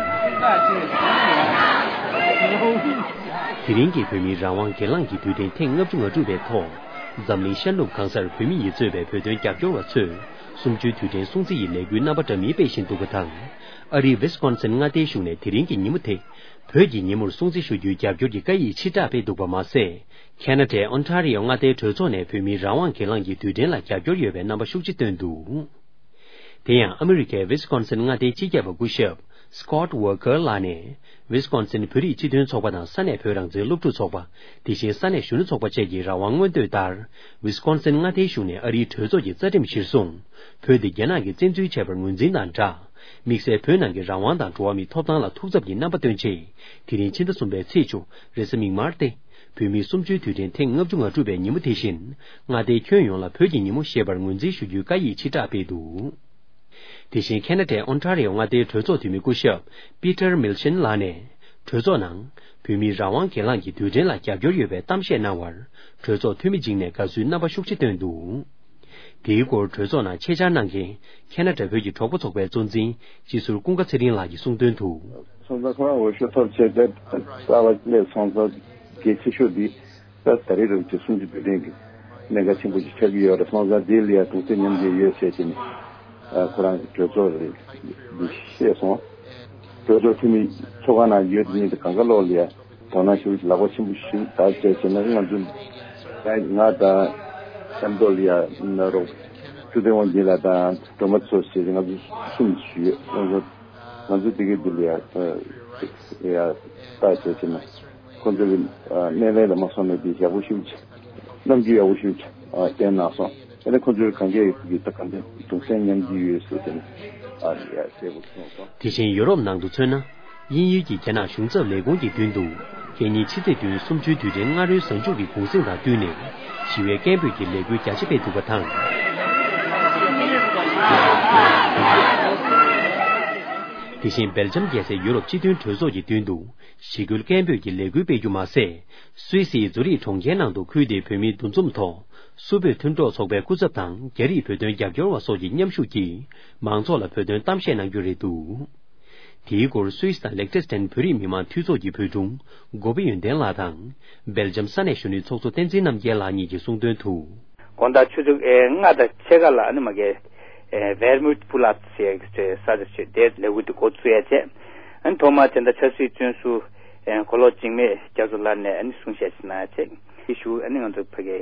དེ་རིང་གི་བོད་མིའི་རང་དབང་སྒེར་ལངས་ཀྱི་དུས་དྲན་ཐེངས་ལྔ་བཅུ་ང་དྲུག་པའི་ཐོག་འཛམ་གླིང་ཤར་ནུབ་གང་སར་བོད་མི་ཡིས་གཙོས་པའི་བོད་དོན་རྒྱབ་སྐྱོར་བ་ཚོས་གསུམ་བཅུའི་དུས་དྲན་སྲུང་བརྩི་ཡི་ལས་འགུལ་རྣམ་པ་འདྲ་མིན་སྤེལ་བཞིན་འདུག་པ་དང་། ཨ་རིའི་ཝི་སི་ཀོན་སིན་མངའ་སྡེའི་གཞུང་ནས་དེ་རིང་གི་ཉིན་མོ་དེ་བོད་ཀྱི་ཉིན་མོར་སྲུང་བརྩི་ཞུ་རྒྱུའི་རྒྱབ་སྐྱོར་གྱི་བཀའ་ཡིག་ཕྱིར་བསྒྲགས་སྤེལ་འདུག་པ་མ་ཟད། ཁེ་ན་ཌའི་ཨོན་ཊ་རི་ཡོ་མངའ་སྡེའི་གྲོས་ཚོགས་ནས་བོད་མིའི་རང་དབང་སྒེར་ལངས་ཀྱི་དུས་དྲན་ལ་རྒྱབ་སྐྱོར་ཡོད་པའི་རྣམ་པ་ཤུགས་ཆེ་བཏོན་འདུག་དེ་ཡང་ཨ་མི་རི་ཀའི་ཝི་སི་ཀོན་སིན་མངའ་སྡེའི་སྤྱི་ཁྱབ་པ་སྐུ་ཞབས་Scott Walker་ལགས་ནས། ཝི་སི་ཀོན་སིན་བོད་རིགས་སྤྱི་མཐུན་ཚོགས་པ་དང་ས་གནས་བོད་རང་བཙན་སློབ་ཕྲུག་ཚོགས་པ། དེ་བཞིན་ས་གནས་གཞོན་ནུ་ཚོགས་པ་བཅས་ཀྱི་རང་དབང་མངོན་འདོད་ལྟར། ཝི་སི་ཀོན་སིན་མངའ་སྡེའི་གཞུང་ནས་ཨ་རིའི་གྲོས་ཚོགས་ཀྱི་རྩ་ཁྲིམས་གཞིར་བཟུང་། བོད་དེ་རྒྱ་ནག་གིས་བཙན་འཛུལ་བྱས་པར་ངོས་འཛིན་དང་སྦྲགས། དམིགས་བསལ་བོད་ནང་གི་རང་དབང་དང་འགྲོ་བ་མིའི་ཐོབ་ཐང་ལ་ཐུགས་འཚབ་ཀྱི་རྣམ་པ་སྟོན་ཆེད། དེ་རིང་ཕྱི་ཟླ་གསུམ་པའི་ཚེས་བཅུ། རེས་གཟའ་མིག་དམར་སྟེ། བོད་མིའི་གསུམ་བཅུའི་དུས་དྲན་ཐེངས་ལྔ་བཅུ་ང་དྲུག་པའི་ཉིན་མོ་དེ་བཞིན། མངའ་སྡེའི་ཁྱོན་ཡོངས་ལ་བོད་ཀྱི་ཉིན་མོ་ཞེས་པར་ངོས་འཛིན་ཞུ་རྒྱུའི་བཀའ་ཡིག་ཕྱིར་བསྒྲགས་སྤེལ་འདུག་དེ་བཞིན་ཁེ་ན་ཌའི་ཨོན་ཊ་རི་ཡོ་མངའ་སྡེའི་གྲོས་ཚོགས་འཐུས་མི་སྐུ་ཞབས་Peter Milchin་ལགས་ནས། གྲོས་ཚོགས་ནང་བོད་མིའི་རང་དབང་སྒེར་ལངས་ཀྱི་དུས་དྲན་ལ་རྒྱབ་སྐྱོར་ཡོད་པའི་གཏམ་བཤད་གནང་བར། གྲོས་ཚོགས་འཐུས་མི་བྱིངས་ནས་དགའ་བསུའི་རྣམ་པ་ཤུགས་ཆེ་བཏོན་འདུག་དེའི་སྐོར་གྲོས་ཚོགས་ནང་ཆེད་བཅར་གནང་མཁན་ཁེ་ན་ཌ་བོད་ཀྱི་གྲོགས་པོ་ཚོགས་པའི་གཙོ་འཛིན་སྤྱི་ཟུར་ཀུན་དགའ་ཚེ་རིང་ལགས་ཀྱིས་གསུངས་དོན་དུ། སོང་ཙང་ཁོ་རང་འོས་ཤོག་ཐོབ་བྱས་ཏེ་གསར་པ་སླེབས་སོང་ཙང་གལ་ཆེ་ཤོས་འདི་ད་ད་རེས་རུ་གྱི་གསུམ་བཅུ་དུས་དྲན་གྱི་གནད་འགག་ཆེན་པོ་ཞིག་ཆགས་ཀྱི་ཡོད་རེད། སོང་ཙང་འདི་ལ་ཡང་གདུང་སེམས་མཉམ་སྐྱེད་ཡོད་ཟེར་བྱས་ནས་ཁོ་རང་གི་གྲོས་ཚོགས་རེད་འདི་བཤད་སོང་། གྲོས་ཚོགས་འཐུས་མི་ཚོགས་ཁང་ནང་ཡོད་མཁན་དེ་གང་ག་ལོག་ལ་ཡང་དོ་སྣང་ཞུ་ལག་པ་ཆེན་པོ་ཞིག་ད་བྱས་བྱས་ན་ང་ཚོ་ང་དང་ཨ་མདོ་ལ་ཡང་ན་རོགས་ཆུ་ཚོད་དབང་འཛིན་ལགས་དང་སྒྲོལ་མ་ཚོ་ཞེས་ང་ཚོ་གསུམ་ཞུ་ཡོད། ང་ཚོ་ང་ཚོ་དེ་གའི་འདི་ལ་ཡང་ཡང་ལྟ་བྱས་བྱས་ན་ཁོང་ཚོ་གི་སྣེ་ལེན་ལ་མ་སོང་ནས་འདི་ཡག་པོ་ཞིག་རྣམ་འགྱུར་ཡག་པོ་ཞིག་བསྟན་གནང་སོང་། དེ་ནས་ཁོང་ཚོའི་གང་གས་ཀྱི་ད་གང་ཚེ་གདུང་སེམས་མཉམ་སྐྱེད་ཡོད་ཟེར་དེ་ནས་ཨ་ཡ་ཟེར་དགོས་སོང་སོང་། དེ་བཞིན་ཡོ་རོབ་ནང་དུ་མཚོན་ན། དབྱིན་ཡུལ་གྱི་རྒྱ་ནག་གཞུང་ཚབ་ལས་ཁུངས་ཀྱི་མདུན་དུ། ཁེ་ཉིན་ཕྱི་ཚེས་བདུན་གསུམ་བཅུའི་དུས་དྲན་སྔ་དྲོའི་གཟའ་མཇུག་གི་གུང་གསེང་དང་བསྟུན་ནས། ཞི་བའི་སྐད་འབོད་ཀྱི་ལས་འགུལ་རྒྱ་ཆེ་སྤེལ་འདུག་པ་དང་། དེ་བཞིན་སྦེལ་ཇམ་རྒྱལ་སའི་ཡུ་རོབ་སྤྱི་མཐུན་གྲོས་ཚོགས་ཀྱི་མདུན་དུ། ཞི་རྒོལ་སྐད་འབོད་ཀྱི་ལས་འགུལ་སྤེལ་རྒྱུ་མ་ཟད། སུད་སིའི་ཛུ་རིག་གྲོང་ཁྱེར་ནང་དུ་ཁུལ་དེའི་བོད་མིའི་འདུ་འཛོམས་ཐོག་སུད་བོད་མཐུན་གྲོགས་ཚོགས་པའི་སྐུ་ཚབ་དང་རྒྱ་རིགས་བོད་དོན་རྒྱབ་སྐྱོར་བ་སོགས་ཀྱི་མཉམ་ཞུགས་ཀྱིས་མང་ཚོགས་ལ་བོད་དོན་གཏམ་བཤད་གནང་རྒྱུ་རེད་འདུག་དེའི་སྐོར་སུད་སི་དང་ལེག་ཊེ་སི་ཊན་བོད་རིགས་མི་མང་འཐུས་ཚོགས་ཀྱི་བོད་དྲུང་སྒོ་པོ་ཡོན་ཏན་ལགས་དང་། སྦེལ་ཇམ་ས་གནས་གཞོན་ནུའི་ཚོགས་གཙོ་བསྟན་འཛིན་རྣམ་རྒྱལ་ལགས་གཉིས་ཀྱིས་གསུངས་དོན་དུ། དགོང་དག་ཆུ་ཚོད་ལྔ་དང་ཕྱེད་ཀ་ལ་ཨ་ནི་མ་གི་ཝེར་མུད་པུ་ལབ་ཟེར་ས་ཆ་ཆེ་དེར་ལས་འགུལ་དེ་འགོ་བཙུགས་ཡ་བྱས། ཨ་ནི་ཐོག་མར་དེ་འདྲ་ཆབ་སྲིད་བཙོན་ཟུར་གོ་ལོག་འཇིགས་མེད་རྒྱ་མཚོ་ལགས་ནས་ཨ་ནི་གསུང་བཤད་ཞིག་གནང་ཡ་བྱས། དེ་ཞུ་ཨ་ནི་ང་ཚོ་ཕ་གི་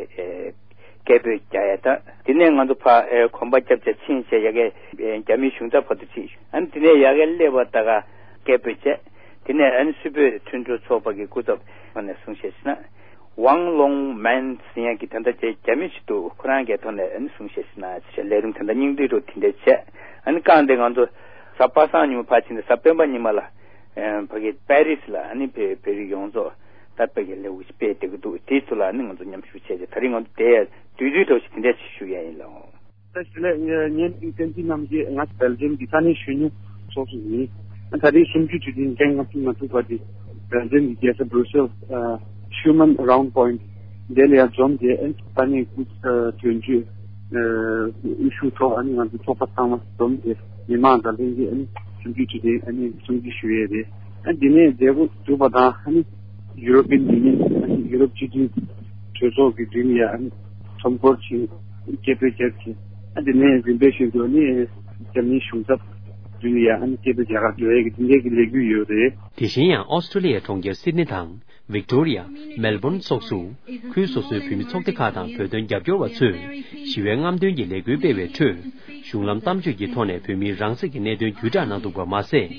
སྐད་འབོད་རྒྱག་ཡ་ད། དེ་ནས་ང་ཚོ་ཕ་གོམ་པ་རྒྱབ་བྱས་ཕྱིན་བྱས་ཡ་གི་རྒྱ་མིའི་གཞུང་ཚབ་བར་དུ་ཕྱིན། ཨ་ནི་དེ་ནས་ཡ་གི་སླེབས་པ་ད་ག་སྐད་འབོད་བྱས། དེ་ནས་ཨ་ནི་སུད་བོད་མཐུན་གྲོས་ཚོགས་པ་གི་སྐུ་ཚབ་ནས་གསུང་བཤད་ཞིག་གནང་། ཝང་ལོང་མན་ཟེར་ཡ་གི་དེ་འདྲ་བྱས་རྒྱ་མི་ཞིག་འདུག་ཁོ་རང་གི་ཐོག་ནས་ཨ་ནི་གསུང་བཤད་ཞིག་གནང་ཞེས་ལས་རིམ་དེ་འདྲ་སྙིང་བསྡུས་འགྲོ་དེ་འདྲ་བྱས། ཨ་ནི་རྐང་དེ་ང་ཚོ་གཟའ་པ་སངས་ཉིན་མོ་ཕར་ཕྱིན་ཏེ་གཟའ་སྤེན་པ་ཉི་མ་ལ་ཕ་གི་པེ་རི་སི་ལ་ཨ་ནི་བོད་བོད་རིགས་ཡོངས་རྫོགས་ད་ཕ་གི་ལས་འགུལ་ཞིག་སྤེལ་བསྡད་ཀྱི་འདུག་དེའི་ཚུལ་ལ་ཨ་ནི་ང་ཚོ་མཉམ་ཞུགས་བྱས་རྗེས་ད་རིང་ང་ཚོ་དེ་བསྡུས་བསྡུས་འགྲོ་ཞིག་དེ་འདྲ་ཞིག་ཞུ་ཡ་ཡིན་ལགས། ད་ཞི་ལས་ངའི་མིང་བསྟན་འཛིན་རྣམ་རྒྱལ། ང་སྦེལ་ཇམ་གྱི་ས་གནས་གཞོན་ནུ་ཚོགས་གཙོ་ཡིན། ད་རེས་གསུམ་བཅུའི་དུས་དྲན་ཐེངས་ལྔ་བཅུ་ང་དྲུག་པ་དེ་སྦེལ་ཇམ་གྱི་རྒྱལ་ས་བྷྲུ་སེལ་ཤུ་མན་རའུན་པོའིན་དེ་ལ་ཡང་འཛོམས་ཏེ་ཨ་ནི་ས་གནས་སྐུ་དོན་གཅོད་དབུ་བཞུགས་ཐོག་ཨ་ནི་ང་ཚོ་ཚོགས་པ་ཚང་མ་འཛོམས་ཏེ་མི་མང་དང་ལྷན་རྒྱས་ཨ་ནི་གསུམ་བཅུའི་དུས་དྲན་ཨ་ནི་སྲུང་བརྩི་ཞུ་ཡས་རེད། ཨ་འདི་ནས་མཛད་སྒོ་གྲུབ་པ་དང་ཨ་ནི་ཡུ་རོ་པིན་ཡུ་ནི་ཡན་ཨ་ནི་ཡུ་རོབ་སྤྱི་མཐུན་གྲོས་ཚོགས་ཀྱི་མདུན་ལ་ཨ་ནི་ཁྲོམ་སྐོར་ཕྱིན། སྐད་འབོད་བརྒྱབ་ཅིང་། ཨ་དེ་ནས་རིམ་པས་བཞིན་དུ་ནི་རྒྱ་མིའི་གཞུང་ཚབ་མདུན་ལ་ཡང་ཨ་ནི་སྐད་འབོད་རྒྱག་གར་འགྲོ་ཡས་ཀྱི་དེ་འདྲའི་གི་ལས་འགུལ་ཡོད་རེད། དེ་བཞིན་ཡང་ཨོ་སི་ཀྲོ་ལི་ཡའི་གྲོང་ཁྱེར་སིད་ནི་དང་། ཝིག་ཏོ་རི་ཡ། མེལ་བོན་སོགས་སུ། ཁུལ་སོ་སོའི་བོད་མི་ཚོགས་སྡེ་ཁག་དང་བོད་དོན་རྒྱབ་སྐྱོར་བ་ཚོས། ཞི་བའི་རྔམ་སྟོན་གྱི་ལས་འགུལ་སྤེལ་བའི་ཁྲོད། གཞུང་ལམ་གཏམ་བརྗོད་ཀྱི་ཐོག་ནས་བོད་མིའི་རང་སྲིད་ཀྱི་གནད་དོན་བརྒྱུད་བསྒྲགས་གནང་འདུག་པ་མ་ཟད།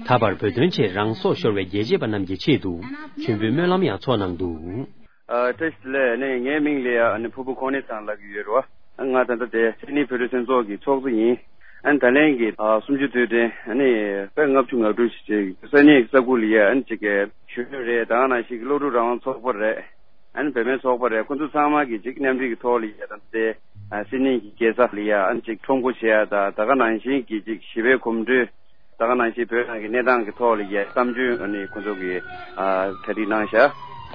ད་བར་བོད་དོན་ཆེད་རང་སྲོག་ཤོར་བའི་རྒྱལ་གཅེས་པ་རྣམས་ཀྱི་ཆེད་དུ། མཆོད་འབུལ་སྨོན་ལམ་ཡང་འཚོགས་གནང་འདུག་ཨ་བཀྲ་ཤིས་བདེ་ལེགས། ཨ་ནི་ངའི་མིང་ལ་ཡ་ཨ་ནི་ཕུར་བུ་ཁོང་ནི་ཚང་ལབ་ཀྱི་ཡོད་རེད་བ། ང་ད་ལྟ་དེ་སིད་ནི་བོད་རིགས་མཐུན་ཚོགས་ཀྱི་ཚོགས་གཙོ་ཡིན། ཨ་ནི་ད་ལན་གྱི་ཨ་གསུམ་བཅུ་དུས་དྲན་ཨ་ནི་དཔེ་ལྔ་བཅུ་ང་དྲུག་ཞིག་བྱས། ས་གནས་ས་ཁུལ་ལ་ཡ་ཨ་ནི་ཅིག་གི་གཞོན་ནུ་རེད། ད་ག་ནང་བཞིན་གྱི་སློབ་ཕྲུག་རང་དབང་ཚོགས་པ་རེད། ཨ་ནི་བུད་མེད་ཚོགས་པ་རེད། ཁོ་ཚོ་ཚང་མ་གི་ཅིག་མཉམ་འབྲེལ་གྱི་ཐོག་ལ་ཡ་ད་ལྟ་དེ་ཨ་སིད་ནི་གི་རྒྱལ་ས་ལ་ཡ་ཨ་ནི་ཅིག་ཁྲོམ་སྐོར་བྱེད་ཡ་ད་ད་ག་ནང་བཞིན་གྱི་ཅིག་ཞི་བའི་གོམ་བགྲོད། ད་ག་ནང་བཞིན་བོད་ནང་གི་གནས་སྟངས་ཀྱི་ཐོག་ལ་ཡ་བསམ་ཚུལ་ཨ་ནི་ཁོ་ཚོ་གིས་ཨ་གྲ་སྒྲིག་གནང་ཤག་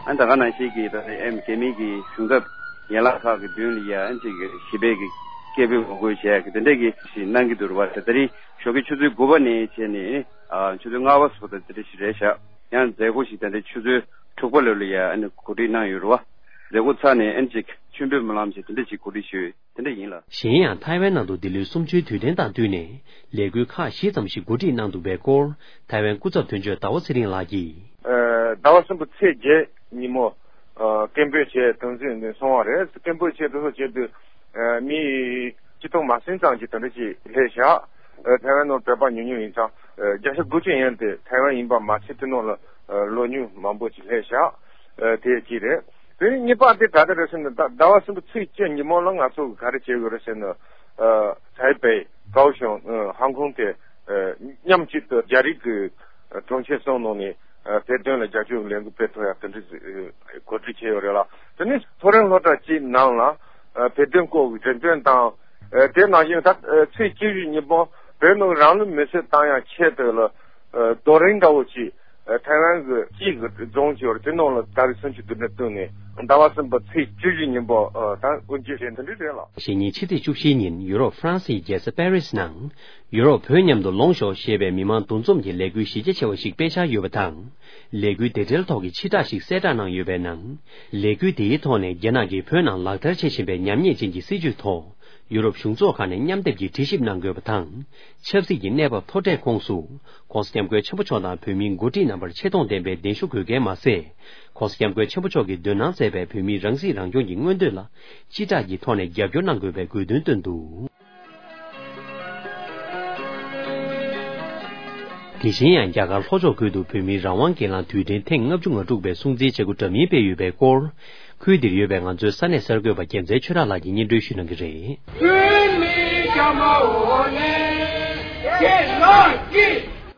ཨ་ནི་ད་ག་ནང་བཞིན་གྱི་ད་ཨེམ་རྒྱ་མི་གི་གཞུང་ཚབ། ཡན་ལག་ཁག་གི་མདུན་ལ་ཡ་ཨ་ཅིག་གི་ཞི་བའི་གི་སྐད་འབོད་ངོ་རྒོལ་བྱས་གི་དེ་འདྲས་གི་ཞིག་གནང་གི་འདུག་རེད་བ། ད་དེ་རིང་ཞོགས་ཀའི་ཆུ་ཚོད་དགུ་པ་ནས་བྱས་ནས་ཨ་ཆུ་ཚོད་ལྔ་པ་སོགས་ད་དེ་འདྲས་ཞིག་རེད་ཤག་ཡང་མཛད་སྒོ་ཞིག་ད་ལྟ་ཆུ་ཚོད་དྲུག་པ་ལོ་ལ་ཡ་ཨ་ནི་གོ་སྒྲིག་གནང་ཡོད་རེད་བ། མཛད་སྒོ་ཚར་ནས་ཨ་ནི་ཅིག་མཆོད་འབུལ་སྨོན་ལམ་བྱས་དེ་འདྲས་ཅིག་གོ་སྒྲིག་ཞུས་དེ་འདྲས་ཡིན་ལ། གཞན་ཡང་ཐའེ་ཝན་ནང་དུ་འདི་ལོའི་གསུམ་བཅུའི་དུས་དྲན་དང་བསྟུན་ནས་ལས་འགུལ་ཁག་བཞི་ཙམ་ཞིག་གོ་སྒྲིག་གནང་འདུག་པའི་སྐོར་ཐའེ་ཝན་སྐུ་ཚབ་དོན་གཅོད་ཟླ་བ་ཚེ་རིང་ལགས་ཀྱིས། ཟླ་བ་གསུམ་པའི་ཚེས་བརྒྱད་ཉིན་མོ། སྐད་འབོད་བྱས་དོན་ཚན་འདི་སོང་བ་རེད། སྐད་འབོད་བྱས་དེ་ཚོ་བྱས་དུས་མི་ཆིག་སྟོང་མ་ཟིན་ཙམ་གྱི་དེ་འདྲ་ཅིག་སླེབས་བཞག་ཐའེ་ཝན་ནང་བོད་པ་ཉུང་ཉུང་ཡིན་ཙང་བརྒྱ་ཆ་དགུ་བཅུ་ཡན་དེ་ཐའེ་ཝན་ཡིན་པ་མ་ཚད་དེ་ནང་ལ་ལོ་ཉུང་མང་པོ་ཅིག་སླེབས་བཞག་དེ་གཅིག་རེད། དེ་ནས་གཉིས་པ་དེ་ག་རེ་རེད་ཟེར་ན་ཟླ་བ་གསུམ་པའི་ཚེས་བཅུ་ཉིན་མོ་ལ་ང་ཚོ་ག་རེ་བྱེད་དགོས་རེད་ཟེར་ན། ཐའེ་པེ། ཀའོ་ཤང་། ཧོང་ཀོང་དེ་མཉམ་གཅིག་ཏུ་རྒྱ་རིགས་ཀྱི་གྲོང་ཁྱེར་གསུམ་ནང་ནས་བོད་དོན་ལ་རྒྱབ་སྐྱོར་གྱི་ལས་འགུལ་སྤེལ་ཐུབ་ཡ་དེ་འདྲ་གོ་སྒྲིག་བྱས་ཡོད་རེད་ལ། དེ་ནས་མཐོ་རིམ་སློབ་གྲྭ་གཅིག་ནང་ལ་བོད་དོན་སྐོར་གྱི་འགྲེམས་སྟོན་དང་། དེ་ནང་བཞིན་ད་ཚེས་བཅུ་བཞི་ཉིན་མོ་བོད་ནང་རང་ལུས་མེར་སྲེག་བཏང་ཡ་ཆེད་དུ་ལ་རྡོ་རིང་འདྲ་བོ་ཅིག་ཐའེ་ཝན་གྱི་སྤྱི་གི་རྫོང་ཅིག་ཡོད་རེད། དེ་ནང་ལ་ད་རེས་སུམ་ཅུ་དུས་དྲན་བསྟུན་ནས་ཟླ་བ་གསུམ་པའི་ཚེས་བཅུ་བཞི་ཉིན་མོ་ད་དབུ་འབྱེད་བྱས་འདི་འདྲ་རེད་ལ། ཕྱི་ཉིན་ཕྱི་ཚེས་བཅུ་བཞིའི་ཉིན་ཡུ་རོབ་ཧྥ་རན་སིའི་རྒྱལ་ས་པེ་རིས་ནང་ཡུ་རོབ་བོད་མཉམ་དུ་ལོངས་ཤོག་ཞེས་པའི་མི་མང་འདུ་འཛོམས་ཀྱི་ལས་འགུལ་གཞི་རྒྱ་ཆེ་བ་ཞིག་སྤེལ་འཆར་ཡོད་པ་དང་། ལས་འགུལ་དེ་འབྲེལ་ཐོག་གི་ཕྱིར་བསྒྲགས་ཤིག་གསལ་བསྒྲགས་གནང་ཡོད་པའི་ནང་། ལས་འགུལ་དེའི་ཐོག་ནས་རྒྱ་ནག་གིས་བོད་ནང་ལག་བསྟར་བྱེད་བཞིན་པའི་ཉམས་ཉེས་ཅན་གྱི་སྲིད་བྱུས་ཐོག་ཡུ་རོབ་གཞུང་ཚོགས་ཁག་ནས་མཉམ་སྡེབ་ཀྱིས་དྲི་ཞིབ་གནང་དགོས་པ་དང་། ཆབ་སྲིད་ཀྱི་གནས་བབ་མཐོ་གྲས་ཁོངས་སུ། ྋགོང་ས་ྋསྐྱབས་མགོན་ཆེན་པོ་མཆོག་དང་བོད་མིའི་འགོ་ཁྲིད་རྣམ་པར་ཆེ་མཐོང་ལྡན་པའི་གདན་ཞུ་དགོས་གལ་མ་ཟད། ྋགོང་ས་ྋསྐྱབས་མགོན་ཆེན་པོ་མཆོག་གིས་འདོན་གནང་མཛད་པའི་བོད་མིའི་རང་སྲིད་རང་སྐྱོང་གི་མངོན་འདོད་ལ་སྤྱི་བསྒྲགས་ཀྱི་ཐོག་ནས་རྒྱབ་སྐྱོར་གནང་དགོས་པའི་དགོས་འདུན་བཏོན་འདུག། དེ་བཞིན་ཡང་རྒྱ་གར་ལྷོ་ཕྱོགས་ཁུལ་དུ་བོད་མིའི་རང་དབང་སྒེར་ལངས་དུས་དྲན་ཐེངས་ལྔ་བཅུ་ང་དྲུག་པའི་སྲུང་བརྩིའི་བྱེད་སྒོ་འདྲ་མིན་སྤེལ་ཡོད་པའི་སྐོར། ཁུལ་འདིར་ཡོད་པའི་ང་ཚོའི་ས་གནས་གསར་འགོད་པ་རྒྱལ་མཚན་ཆོས་གྲགས་ལགས་ཀྱིས་སྙན་སྒྲོན་ཞུ་གནང་གི་རེད། བོད་མི་རྒྱ་མ་འོ་ནས་སྐྱེ་ལོ་སྐྱེ།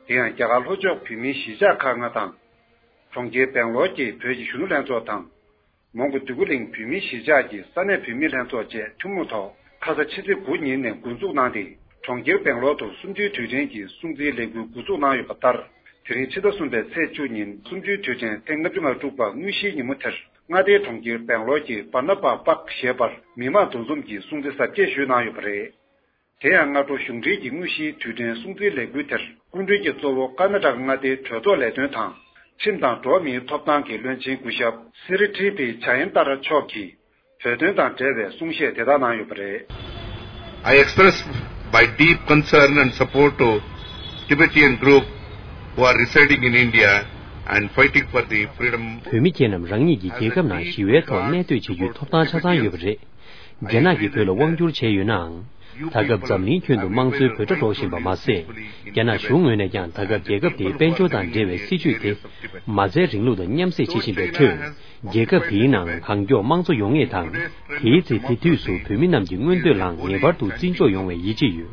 དེ་ཡང་རྒྱ་གར་ལྷོ་ཕྱོགས་བོད་མིའི་གཞིས་ཆགས་ཁག་ལྔ་དང་། གྲོང་ཁྱེར་སྦེང་ལོར་གྱི་བོད་ཀྱི་གཞོན་ནུ་ལྷན་ཚོགས་དང་། མོན་གྷོ་འདོད་རྒུ་གླིང་བོད་མིའི་གཞིས་ཆགས་ཀྱི་ས་གནས་བོད་མིའི་ལྷན་ཚོགས་བཅས་ཐུན་མོང་ཐོག་ཁ་ས་ཕྱི་ཚེས་དགུ་ཉིན་ནས་འགོ་འཛུགས་གནང་སྟེ། གྲོང་ཁྱེར་སྦེང་ལོར་དུ་གསུམ་བཅུའི་དུས་དྲན་གྱི་སྲུང་བརྩིའི་ལས་འགུལ་འགོ་འཛུགས་གནང་ཡོད་པ་ལྟར། དེ་རིང་ཕྱི་ཟླ་གསུམ་པའི་ཚེས་བཅུ་ཉིན་གསུམ་བཅུའི་དུས་དྲན་ཐེངས་ལྔ་བཅུ་ང་དྲུག་པ་དངོས་གཞིའི་ཉིན་མོ་དེར། མངའ་སྡེའི་གྲོང་ཁྱེར་སྦེང་ལོར་གྱི་བར་ན་པ་པག་ཞེས་པར་མི་མང་འདུ་འཛོམས་ཀྱིས་སྲུང་བརྩི་གཟབ་རྒྱས་ཞུས་གནང་ཡོད་པ་རེད། དེ་ཡང་སྔ་དྲོ་གཞུང་འབྲེལ་གྱི་དངོས་གཞིའི་དུས་དྲན་སྲུང་བརྩིའི་ལས་འགུལ་དེར་སྐུ་མགྲོན་གྱིས་གཙོ་བོ་ཀར་ན་ཊ་ཀ་མངའ་སྡེའི་གྲོས་ཚོགས་ལས་དོན་དང་། ཁྲིམས་དང་འགྲོ་བ་མིའི་ཐོབ་ཐང་གི་བློན་ཆེན་སྐུ་ཞབས་སི་རི་ཊི་པི་ཇ་ཡན་ཏཱ་ར་མཆོག་གིས་བོད་དོན་དང་འབྲེལ་བའི་གསུང་བཤད་དེ་དག་གནང་ཡོད་པ་རེད། I express my deep concern and support to Tibetan group who are residing in India and fighting for the freedom. བོད་མི་ཁྱེད་རྣམས་རང་ཉིད་ཀྱི་རྒྱལ་ཁབ་ནང་ཞི་བའི་ཐོག་གནས་སྡོད་བྱེད་རྒྱུའི་ཐོབ་ཐང་ཆ་ཚང་ཡོད་པ་རེད། རྒྱ་ནག་གིས་བོད་ལ་དབང་བསྒྱུར་བྱས་ཡོད་ནའང་། ད་སྐབས་འཛམ་གླིང་ཁྱོན་དུ་དམངས་གཙོའི་འབོད་སྒྲ་སྒྲོག་བཞིན་པ་མ་ཟད། རྒྱ་ནག་གཞུང་ངོས་ནས་ཀྱང་ད་སྐབས་རྒྱལ་ཁབ་དེའི་དཔལ་འབྱོར་དང་འབྲེལ་བའི་སྲིད་ཇུས་དེ། མ་རྩའི་རིང་ལུགས་དང་མཉམ་བསྲེས་བྱེད་བཞིན་པའི་ཁྲོད། རྒྱལ་ཁབ་དེའི་ནང་གང་མགྱོགས་དམངས་གཙོ་ཡོང་ངེས་དང་། དེའི་ཚེ་དེ་དུས་སུ་བོད་མི་རྣམས་ཀྱི་མངོན་འདོད་ལའང་ངེས་པར་དུ་བརྩི་འཇོག་ཡོང་བའི་ཡིད་ཆེས་ཡོད།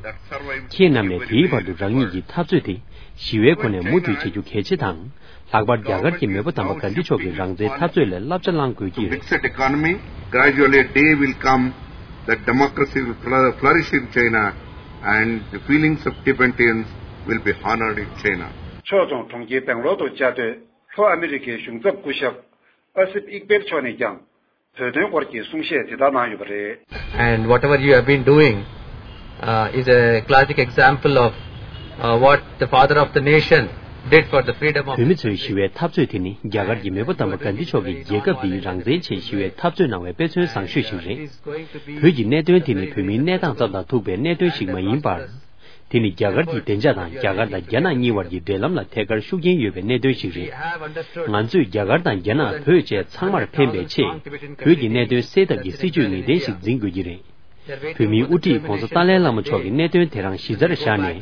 ཁྱེད་རྣམས་ནས་དེའི་བར་དུ་རང་ཉིད་ཀྱི་འཐབ་རྩོད་དེ་ཞི་བའི་སྒོ་ནས་མུ་མཐུད་བྱེད་རྒྱུ་གལ་ཆེ་དང་། ལྷག་པར་རྒྱ་གར་གྱི་མེས་པོ་དམ་པ་གྷན་དྷི་མཆོག་གི་རང་བཙན་འཐབ་རྩོད་ལས་བསླབ་བྱ་བླང་དགོས་ཀྱི་ཡོད། Mixed economy, gradually a day will come that democracy will flour- flourish in China and the feelings of Tibetans will be honored in China. ཕྱོགས་མཚུངས་གྲོང་ཁྱེར་སྦེང་ལོར་དུ་བཅའ་སྡོད་ལྷོ་ཨ་མི་རི་ཀའི་གཞུང་ཚབ་སྐུ་ཞབས་ཨ་སིབ་ཨིག་པེལ་མཆོག་ནས་ཀྱང་། བོད་དོན་སྐོར་གྱི་གསུང་བཤད་དེ་དག་གནང་ཡོད་པ་རེད། And whatever you have been doing, uh, is a classic example of, uh, what the father of the nation did for the freedom of བོད་མི་ཚོའི་ཞི་བའི་འཐབ་རྩོད་དེ་ནི་རྒྱ་གར་གྱི་མེས་པོ་དམ་པ་གྷན་དྷི་མཆོག་གིས་རྒྱལ་ཁབ་འདིའི་རང་བཙན་ཆེད་ཞི་བའི་འཐབ་རྩོད་གནང་བའི་དཔེ་མཚོན་བཟང་ཤོས་ཤིག་རེད། བོད་ཀྱི་གནད་དོན་དེ་ནི་བོད་མིའི་གནས་སྟངས་ཙམ་དང་ཐུག་པའི་གནད་དོན་ཞིག་མ་ཡིན་པར། དེ་ནི་རྒྱ་གར་གྱི་བདེ་འཇགས་དང་རྒྱ་གར་དང་རྒྱ་ནག་གཉིས་བར་གྱི་འབྲེལ་ལམ་ལ་ཐད་ཀར་ཤུགས་རྐྱེན་ཡོད་པའི་གནད་དོན་ཞིག་རེད། ང་ཚོས་རྒྱ་གར་དང་རྒྱ་ནག་བོད་བཅས་ཚང་མར་ཕན་པའི་ཆེད། བོད་ཀྱི་གནད་དོན་སེལ་ཐབས་ཀྱི་སྲིད་ཇུས་ངེས་གཏན་ཞིག་འཛིན་དགོས་ཀྱི་རེད། བོད་མིའི་དབུ་ཁྲིད་༸གོང་ས་ཏཱ་ལའི་བླ་མ་མཆོག་གིས་གནད་དོན་དེ་རང་གཞི་རྩར་བཞག་ནས།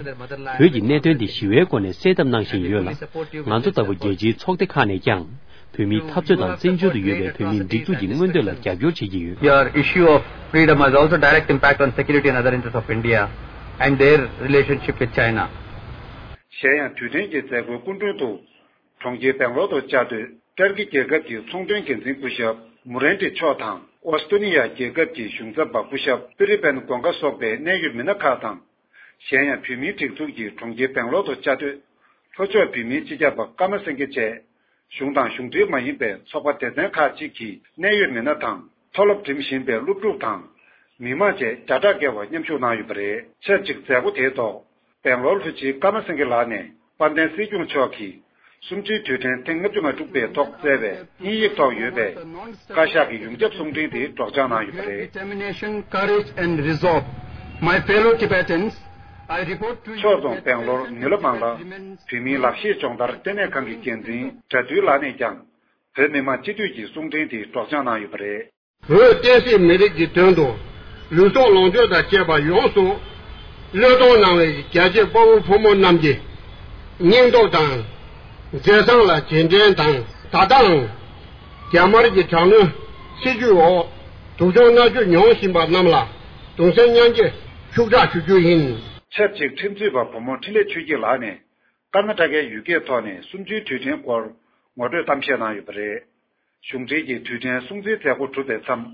བོད་ཀྱི་གནད་དོན་དེ་ཞི་བའི་སྒོ་ནས་སེལ་ཐབས་གནང་བཞིན་ཡོད་ལ། ང་ཚོ་ལྟ་བུ་རྒྱལ་སྤྱིའི་ཚོགས་སྡེ་ཁག་ནས་ཀྱང་། བོད་མིའི་འཐབ་རྩོད་དང་བཙན་བྱོལ་དུ་ཡོད་པའི་བོད་མིའི་སྒྲིག་འཛུགས་ཀྱི་མངོན་འདོད་ལ་རྒྱབ་སྐྱོར་བྱེད་ཀྱི་ཡོད། Your issue of freedom has also direct impact on security and other interests of India and their relationship with China. གཞན་ཡང་དུས་དྲན་གྱི་མཛད་སྒོའི་སྐུ་མགྲོན་དུ། གྲོང་ཁྱེར་སྦེང་ལོར་དུ་བཅའ་སྡོད་ཏར་ཀི་རྒྱལ་ཁབ་ཀྱི་ཚོང་དོན་འགན་འཛིན་སྐུ་ཞབས་མུ་རན་ཏི་མཆོག་དང་། ཨོ་སི་ཀྲོ་ནི་ཡ་རྒྱལ་ཁབ་ཀྱི་གཞུང་ཚབ་པ་སྐུ་ཞབས་པི་རི་པན་གོང་ཀ་སོགས་པའི་གནད་ཡོད་མི་སྣ་ཁག་དང་། གཞན་ཡང་བོད་མིའི་སྒྲིག་འཛུགས་ཀྱི་གྲོང་ཁྱེར་སྦེང་ལོར་དུ་བཅའ་སྡོད་ལྷོ་ཕྱོགས་བོད་མིའི་སྤྱི་ཁྱབ་པ་ཀརྨ་སེང་གེ་བཅས། གཞུང་དང་གཞུང་འབྲེལ་མ་ཡིན་པའི་ཚོགས་པ་སྡེ་ཚན་ཁག་ཅིག་གི་གནད་ཡོད་མི་སྣ་དང་ མཐོ་སློབ་འགྲིམ་བཞིན་པའི་སློབ་ཕྲུག་དང་། མི་མང་བཅས་བརྒྱ་ཕྲག་བརྒལ་བ་མཉམ་ཞུགས་གནང་ཡོད་པ་རེད། ཆབས་ཅིག་མཛད་སྒོ་དེའི་ཐོག་སྦེང་ལོར་ལྷོ་སྤྱི་ཀརྨ་སེང་གེ་ལགས་ནས་དཔལ་ལྡན་སྲིད་སྐྱོང་མཆོག་གིས་གསུམ་བཅུའི་དུས་དྲན་ཐེངས་ལྔ་བཅུ་ང་དྲུག་པའི་ཐོག་བསྩལ་བའི་དབྱིན་ཡིག་ཐོག་ཡོད་པའི་བཀའ་ཤག་གི་ཡོངས་ཁྱབ་གསུང་འཕྲིན་དེ་སྒྲོག་སྦྱང་གནང་ཡོད་པ་རེད། Determination, courage and resolve. My fellow Tibetans, I report to you ཕྱོགས་མཚུངས་སྦེང་ལོར་ནུས་ལ་མང་ལ་བོད་མིའི་ལག་ཤེས་སྦྱོང་བརྡར་ལྟེ་གནས་ཁང་གི་འགན་འཛིན་དགྲ་འདུལ་ལགས་ནས་ཀྱང་བོད་མི་མང་སྤྱི་འཐུས་ཀྱི་གསུང་འཕྲིན་དེ་སྒྲོག་སྦྱང་གནང་ཡོད་པ་རེད། བོད་བསྟན་སྲིད་མི་རིགས་ཀྱི་དོན་དུ་ལུས་སྲོག་ལོངས་སྤྱོད་དང་བཅས་པ་ཡོངས་སུ་བློས་གཏོང་གནང་བའི་རྒྱལ་གཅེས་དཔའ་བོ་ཕོ་མོ་རྣམས་ཀྱི་སྙིང་སྟོབས་དང་མཛད་བཟང་ལ་རྗེས་དྲན་དང་། ད་ལྟའང་རྒྱ་དམར་གྱི་དྲག་གནོན་སྲིད་བྱུས་འོག་སྡུག་སྦྱོང་མནར་གཅོད་མྱོང་བཞིན་པ་རྣམས་ལ་གདུང་སེམས་མཉམ་སྐྱེད་ཤུགས་དྲག་ཞུ་རྒྱུ་ཡིན། ཆབས་ཅིག་ཁྲིམས་རྩོད་པ་བུ་མོ་འཕྲིན་ལས་ཆོས་སྐྱིད་ལགས་ནས་ཀར་ན་ཊ་ཀའི་ཡུལ་སྐད་ཐོག་ནས་གསུམ་བཅུའི་དུས་དྲན་སྐོར་ངོ་སྤྲོད་གཏམ་བཤད་གནང་ཡོད་པ་རེད། གཞུང་འབྲེལ་གྱི་དུས་དྲན་སྲུང་བརྩིའི་མཛད་སྒོ་གྲུབ་པའི་མཚམས།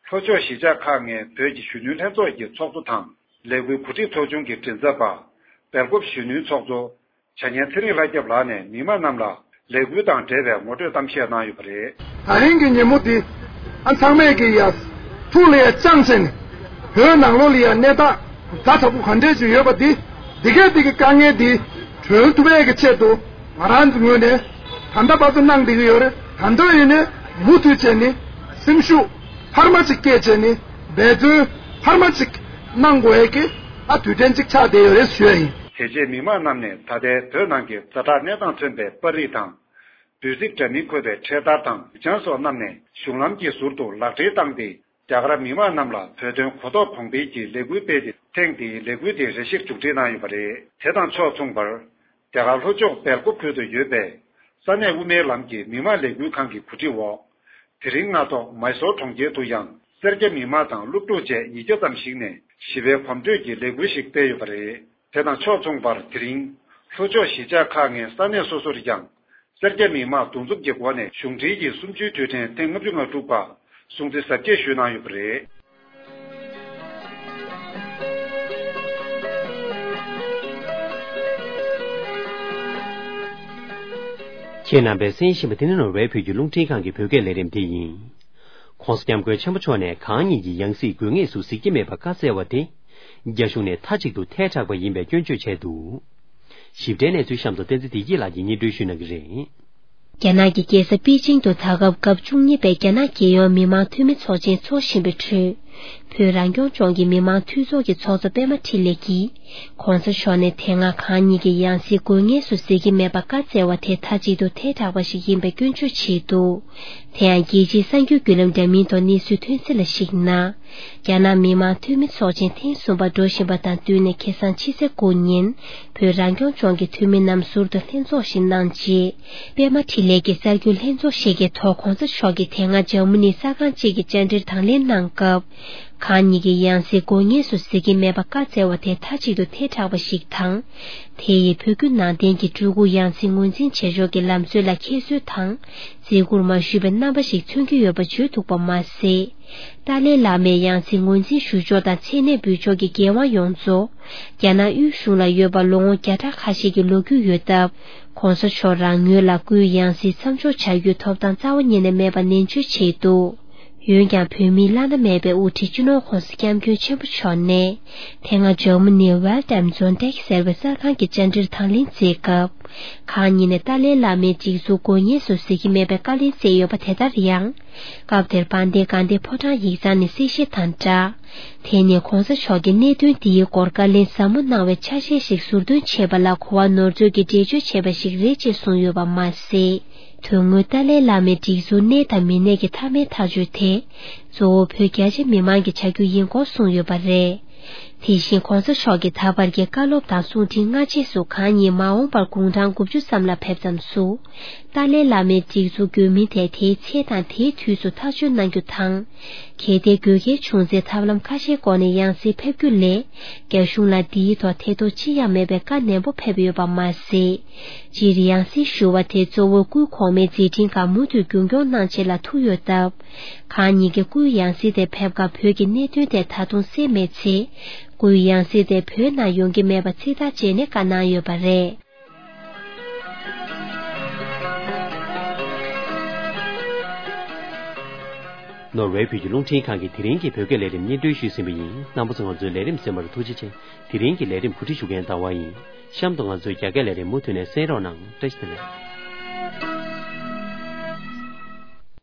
ལྷོ་ཕྱོགས་གཞིས་ཆགས་ཁག་ལྔའི་བོད་ཀྱི་གཞོན་ནུའི་ལྷན་ཚོགས་ཀྱི་ཚོགས་གཙོ་དང་། ལས་འགུལ་གོ་སྒྲིག་ཚོགས་ཆུང་གི་མགྲིན་ཚབ་པ། སྦེལ་ཀོབ་གཞོན་ནུའི་ཚོགས་གཙོ། བྱ་ཉན་ཚེ་རིང་ལྷ་སྐྱབས་ལགས་ནས་མི་མང་རྣམས་ལ་ལས་འགུལ་དང་འབྲེལ་བའི་ངོ་སྤྲོད་གཏམ་བཤད་གནང་ཡོད་པ་རེད། ད་རིང་གི་ཉིན་མོ་འདི་ཨ་ཚང་མས་ཀྱི་ཡ་ཐུགས་ལ་ཡ་བཅངས་བྱས་ནས་བོད་ནང་ལོགས་ལ་ཡ་གནས་སྟངས་ཛ་དྲག་པོ་ག་འདྲས་ཅིག་ཡོད་པ་འདི་འདི་གས་འདི་གི་དཀའ་ངལ་འདི་གྲོལ་ཐུབ་ཡས་ཀྱི་ཆེད་དུ། ང་རང་ཚོའི་ངོས་ནས་ད་ལྟ་བར་དུ་གནང་བསྡད་ཀྱི་ཡོད་རེད། ད་ལྟ་ཡིན་ནའི་མུ་མཐུད་བྱས་ནས་སེམས་ཤུགས་འཕར་མ་ཅིག་སྐྱེད་བྱས་ནས་འབད་བརྩོན་འཕར་མ་ཅིག་གནང་དགོས་ཡས་ཀྱི་ཨ་དུས་དྲན་ཅིག་ཆགས་བསྡད་ཡོད་རེད་ཞུ་ཡ་ཡིན། དེ་རྗེས་མི་མང་རྣམས་ནས་ད་ལྟའི་བོད་ནང་གི་ཛ་དྲག་གནས་སྟངས་མཚོན་པའི་པར་རིས་དང་། འབོད་ཚིག་འདྲ་མིན་འཁོད་པའི་འཕྲེད་དར་དང་ལུས་སྦྱང་སོགས་བསྣམས་ནས་གཞུང་ལམ་གྱི་ཟུར་དུ་ལག་སྦྲེལ་བཏང་སྟེ། རྒྱ་གར་མི་མང་རྣམས་ལ་བོད་དོན་གོ་རྟོགས་གོང་འཕེལ་གྱི་ལས་འགུལ་སྤེལ་ཏེ། ཐེངས་འདིའི་ལས་འགུལ་དེ་རེ་ཞིག་མཇུག་སྒྲིལ་གནང་ཡོད་པ་རེད། དེ་དང་ཕྱོགས་མཚུངས་པར། རྒྱ་གར་ལྷོ་ཕྱོགས་སྦེལ་ཀོབ་ཁུལ་དུ་ཡོད་པའི་ས་གནས་དབུ་མའི་ལམ་གྱི་མི་མང་ལས་འགུལ་ཁང་གི་གོ་སྒྲིག་འོག་དེ་རིང་སྔ་ཐོག་མའི་སོར་གྲོང་ཁྱེར་དུ་ཡང་སེར་སྐྱ་མི་མང་དང་སློབ་ཕྲུག་བཅས་ཉིས་བརྒྱ་ཙམ་ཞིག་ནས་ཞི་བའི་གོམ་བགྲོད་ཀྱི་ལས་འགུལ་ཞིག་སྤེལ་ཡོད་པ་རེད། དེ་དང་ཕྱོགས་མཚུངས་པར། དེ་རིང་ལྷོ་ཕྱོགས་གཞིས་ཆགས་ཁག་ལྔའི་ས་གནས་སོ་སོར་ཡང་སེར་སྐྱ་མི་མང་འདུ་འཛོམས་ཀྱི་སྒོ་ནས་གཞུང་འབྲེལ་གྱི་གསུམ་བཅུའི་དུས་དྲན་ཐེངས་ལྔ་བཅུ་ང་དྲུག་པ་སྲུང་བརྩི་གཟབ་རྒྱས་ཞུས་གནང་ཡོད་པ་རེད། ཁྱེད་རྣམ་པས་གསན་བཞིན་པ་འདི་ནི་ནོར་ཝེ་བོད་ཀྱི་རླུང་འཕྲིན་ཁང་གི་བོད་སྐད་ལས་རིམ་དེ་ཡིན། ༸གོང་ས་༸སྐྱབས་མགོན་ཆེན་པོ་མཆོག་ནས་གང་ཉིད་ཀྱི་ཡང་སྲིད་དགོས་ངེས་སུ་གཟིགས་ཀྱི་མེད་པ་བཀའ་སྩལ་བ་དེ། རྒྱ་གཞུང་ནས་མཐའ་གཅིག་ཏུ་ཐལ་དྲགས་པ་ཡིན་པའི་སྐྱོན་བརྗོད་བྱས་འདུག་ཞིབ་ཕྲའི་གནས་ཚུལ་གཤམ་དུ་བསྟན་འཛིན་བདེ་སྐྱིད་ལགས་ཀྱིས་སྙན་སྒྲོན་ཞུ་གནང་གི་རེད། རྒྱ་ནག་གི་རྒྱལ་ས་པེ་ཅིང་དུ་ད་སྐབས་སྐབས་བཅུ་གཉིས་པའི་རྒྱ་ནག་རྒྱལ་ཡོངས་མི་དམངས་འཐུས་མི་ཚོགས་ཆེན་འཚོགས་བཞིན་པའི་ཁྲོད། བོད་རང་སྐྱོང་ལྗོངས་ཀྱི་མི་དམངས་འཐུས་ཚོགས་ཀྱི་ཚོགས་གཙོ་པད་མ་འཕྲིན་ལས་ཀྱིས། ༸གོང་ས་མཆོག་ནས་དེ་སྔ་གང་ཉིད་ཀྱི་ཡང་སྲིད་དགོས་ངེས་སུ་གཟིགས་ཀྱི་མེད་པ་བཀའ་སྩལ་བ་དེ་མཐའ་གཅིག་ཏུ་ཐལ་དྲགས་པ་ཞིག་ཡིན་པའི་སྐྱོན་བརྗོད་བྱས་འདུག་དེ་ཡང་རྒྱལ་སྤྱིའི་གསར་འགྱུར་བརྒྱུད་ལམ་འདྲ་མིན་ཐོག་གནས་ཚུལ་ཐོན་གསལ་ལ་གཞིགས་ན། རྒྱ་ནག་མི་དམངས་འཐུས་མི་ཚོགས་ཆེན་ཐེངས་གསུམ་པ་འགྲོ་བཞིན་པ་དང་བསྟུན་ནས་ཁ་སང་ཕྱི་ཚེས་དགུ་ཉིན་བོད་རང་སྐྱོང་ལྗོངས་ཀྱི་འཐུས་མི་རྣམས་ཟུར་དུ་ལྷན་ཚོགས་ཤིག་གནང་རྗེས། པད་མ་འཕྲིན་ལས་ཀྱིས་གསར་འགྱུར་ལྷན་ཚོགས་ཤིག་གི་ཐོག་༸གོང་ས་མཆོག་གིས་དེ་སྔ་འཇར་མ་ནི་གསར་ཁང་ཅིག་གི་བཅར་འདྲིར་དང་ལེན་གནང་སྐབས། གང་ཉིད་ཀྱི་ཡང་སྲིད་དགོས་ངེས་སུ་གཟིགས་ཀྱི་མེད་པ་བཀའ་སྩལ་བ་དེ་མཐའ་གཅིག་ཏུ་ཐལ་དྲགས་པ་ཞིག་དང་། དེ་ཡིས་བོད་བརྒྱུད་ནང་བསྟན་གྱི་སྤྲུལ་སྐུ་ཡང་སྲིད་ངོས་འཛིན་བྱེད་ཕྱོགས་ཀྱི་ལམ་སྲོལ་ལ་ཁྱད་གསོད་དང་། བརྩི་བཀུར་མ་ཞུས་པའི་རྣམ་པ་ཞིག་མཚོན་གྱི་ཡོད་པ་བརྗོད་འདུག་པ་མ་ཟད། ཏཱ་ལའི་བླ་མའི་ཡང་སྲིད་ངོས་འཛིན་ཞུ་ཕྱོགས་དང་མཚན་གནས་འབུལ་ཕྱོགས་ཀྱི་འགན་དབང་ཡོངས་རྫོགས་རྒྱ་ནག་དབུས་གཞུང་ལ་ཡོད་པ་ལོ་ངོ་བརྒྱ་ཕྲག་ཁ་ཤས་ཀྱི་ལོ་རྒྱུས་ཡོད་སྟབས། ༸གོང་ས་མཆོག་རང་ངོས་ལ་སྐུའི་ཡང་སྲིད་མཚམས་འཇོག་བྱ་རྒྱུའི་ཐོབ་ཐང་རྩ་བ་ཉིད་ནས་མེད་པ་ནན་བརྗོད་བྱས་འདུག་འོན་ཀྱང་བོད་མིའི་བླ་ན་མེད་པའི་དབུ་ཁྲིད་སྤྱི་ནོར་༸གོང་ས་༸སྐྱབས་མགོན་ཆེན་པོ་མཆོག་ནས། དེ་སྔ་འཇར་མ་ནིའི་Welt am Sonntag ཟེར་བའི་གསར་ཁང་གི་བཅར་འདྲིར་དང་ལེན་མཛད་སྐབས། གང་ཉིད་ནས་ཏཱ་ལའི་བླ་མའི་སྒྲིག་འཛུགས་དགོས་ངེས་སུ་གཟིགས་ཀྱི་མེད་པའི་བཀའ་ལན་སྩལ་ཡོད་པ་དེ་ལྟར་ཡང་། སྐབས་དེར་དཔལ་ལྡན་དགའ་ལྡན་ཕོ་བྲང་ཡིག་ཚང་ནས་གསལ་བཤད་དང་སྦྲགས། དེ་ནི་༸གོང་ས་མཆོག་གིས་གནད་དོན་འདིའི་སྐོར་བཀའ་ལན་ཟབ་མོ་གནང་བའི་ཆ་ཤས་ཤིག་ཟུར་འདོན་བྱས་པ་ལ་གོ་བ་ནོར་འཛོལ་གྱིས་འགྲེལ་བརྗོད་བྱས་པ་ཞིག་རེད་ཅེས་གསུངས་ཡོད་པ་མ་ཟད། དོན་དངོས་ཏཱ་ལའི་བླ་མའི་སྒྲིག་འཛུགས་གནས་དང་མི་གནས་ཀྱི་མཐའ་མའི་ཐག་གཅོད་དེ། གཙོ་བོ་བོད་རྒྱ་ཆེ་མི་མང་གི་བྱ་རྒྱུ་ཡིན་སྐོར་གསུངས་ཡོད་པ་རེད། དེ་བཞིན་༸གོང་ས་མཆོག་གིས་ད་བར་གྱི་བཀའ་སློབ་དང་གསུང་འཕྲིན་སྔ་རྗེས་སུ་གང་ཉིད་མ་འོངས་པར་དགུང་གྲངས་དགུ་བཅུ་ཙམ་ལ་ཕེབས་ཙམ་སུ། ཏཱ་ལའི་བླ་མའི་སྒྲིག་འཛུགས་དགོས་མིན་ཐད་དེའི་ཚེ་དང་དེའི་དུས་སུ་ཐག་གཅོད་གནང་རྒྱུ་དང་། གལ་ཏེ་དགོས་གལ་བྱུང་ཚེ་ཐབས་ལམ་ཁ་ཤས་སྐོར་ནས་ཡང་སེ་ཕེབས་རྒྱུ་ལས། རྒྱ་གཞུང་ལ་འདིའི་ཐོག་ཐེ་གཏོགས་ཅི་ཡང་མེད་པའི་བཀའ་ནན་པོ་ཕེབས་ཡོད་པ་མ་ཟད། སྤྱིར་ཡང་སྲིད་ཞུ་བ་དེ་གཙོ་བོ་སྐུའི་གོང་མའི་མཛད་འཕྲིན་ཁག་མུ་མཐུད་རྒྱུན་སྐྱོང་གནང་ཆེད་ལ་ཐུག་ཡོད་སྟབས། གང་ཉིད་ཀྱི་སྐུའི་ཡང་སྲིད་དེ་ཕེབས་སྐབས་བོད་ཀྱི་གནད་དོན་དེ་ད་དུང་སེལ་མེད་ཚེ། སྐུའི་ཡང་སྲིད་དེ་བོད་ནང་ཡོང་གི་མེད་པ་ཚིག་ཐག་བཅད་ནས་བཀའ་གནང་ཡོད་པ་རེད། ནོར་ཝེ་བོད་ཀྱི་རླུང་འཕྲིན་ཁང་གིས་དེ་རིང་གི་བོད་སྐད་ལས་རིམ་སྙན་སྒྲོན་ཞུས་ཟིན་པ་ཡིན། རྣམ་པ་ཚོ་ང་ཚོའི་ལས་རིམ་གསན་པར་ཐུགས་རྗེ་ཆེ། དེ་རིང་གི་ལས་རིམ་གོ་སྒྲིག་ཞུ་མཁན་ཟླ་བ་ཡིན། གཤམ་དུ་ང་ཚོའི་རྒྱ་སྐད་ལས་རིམ་མུ་མཐུད་ནས་གསན་རོགས་གནང་། བཀྲ་ཤིས་བདེ་ལེགས།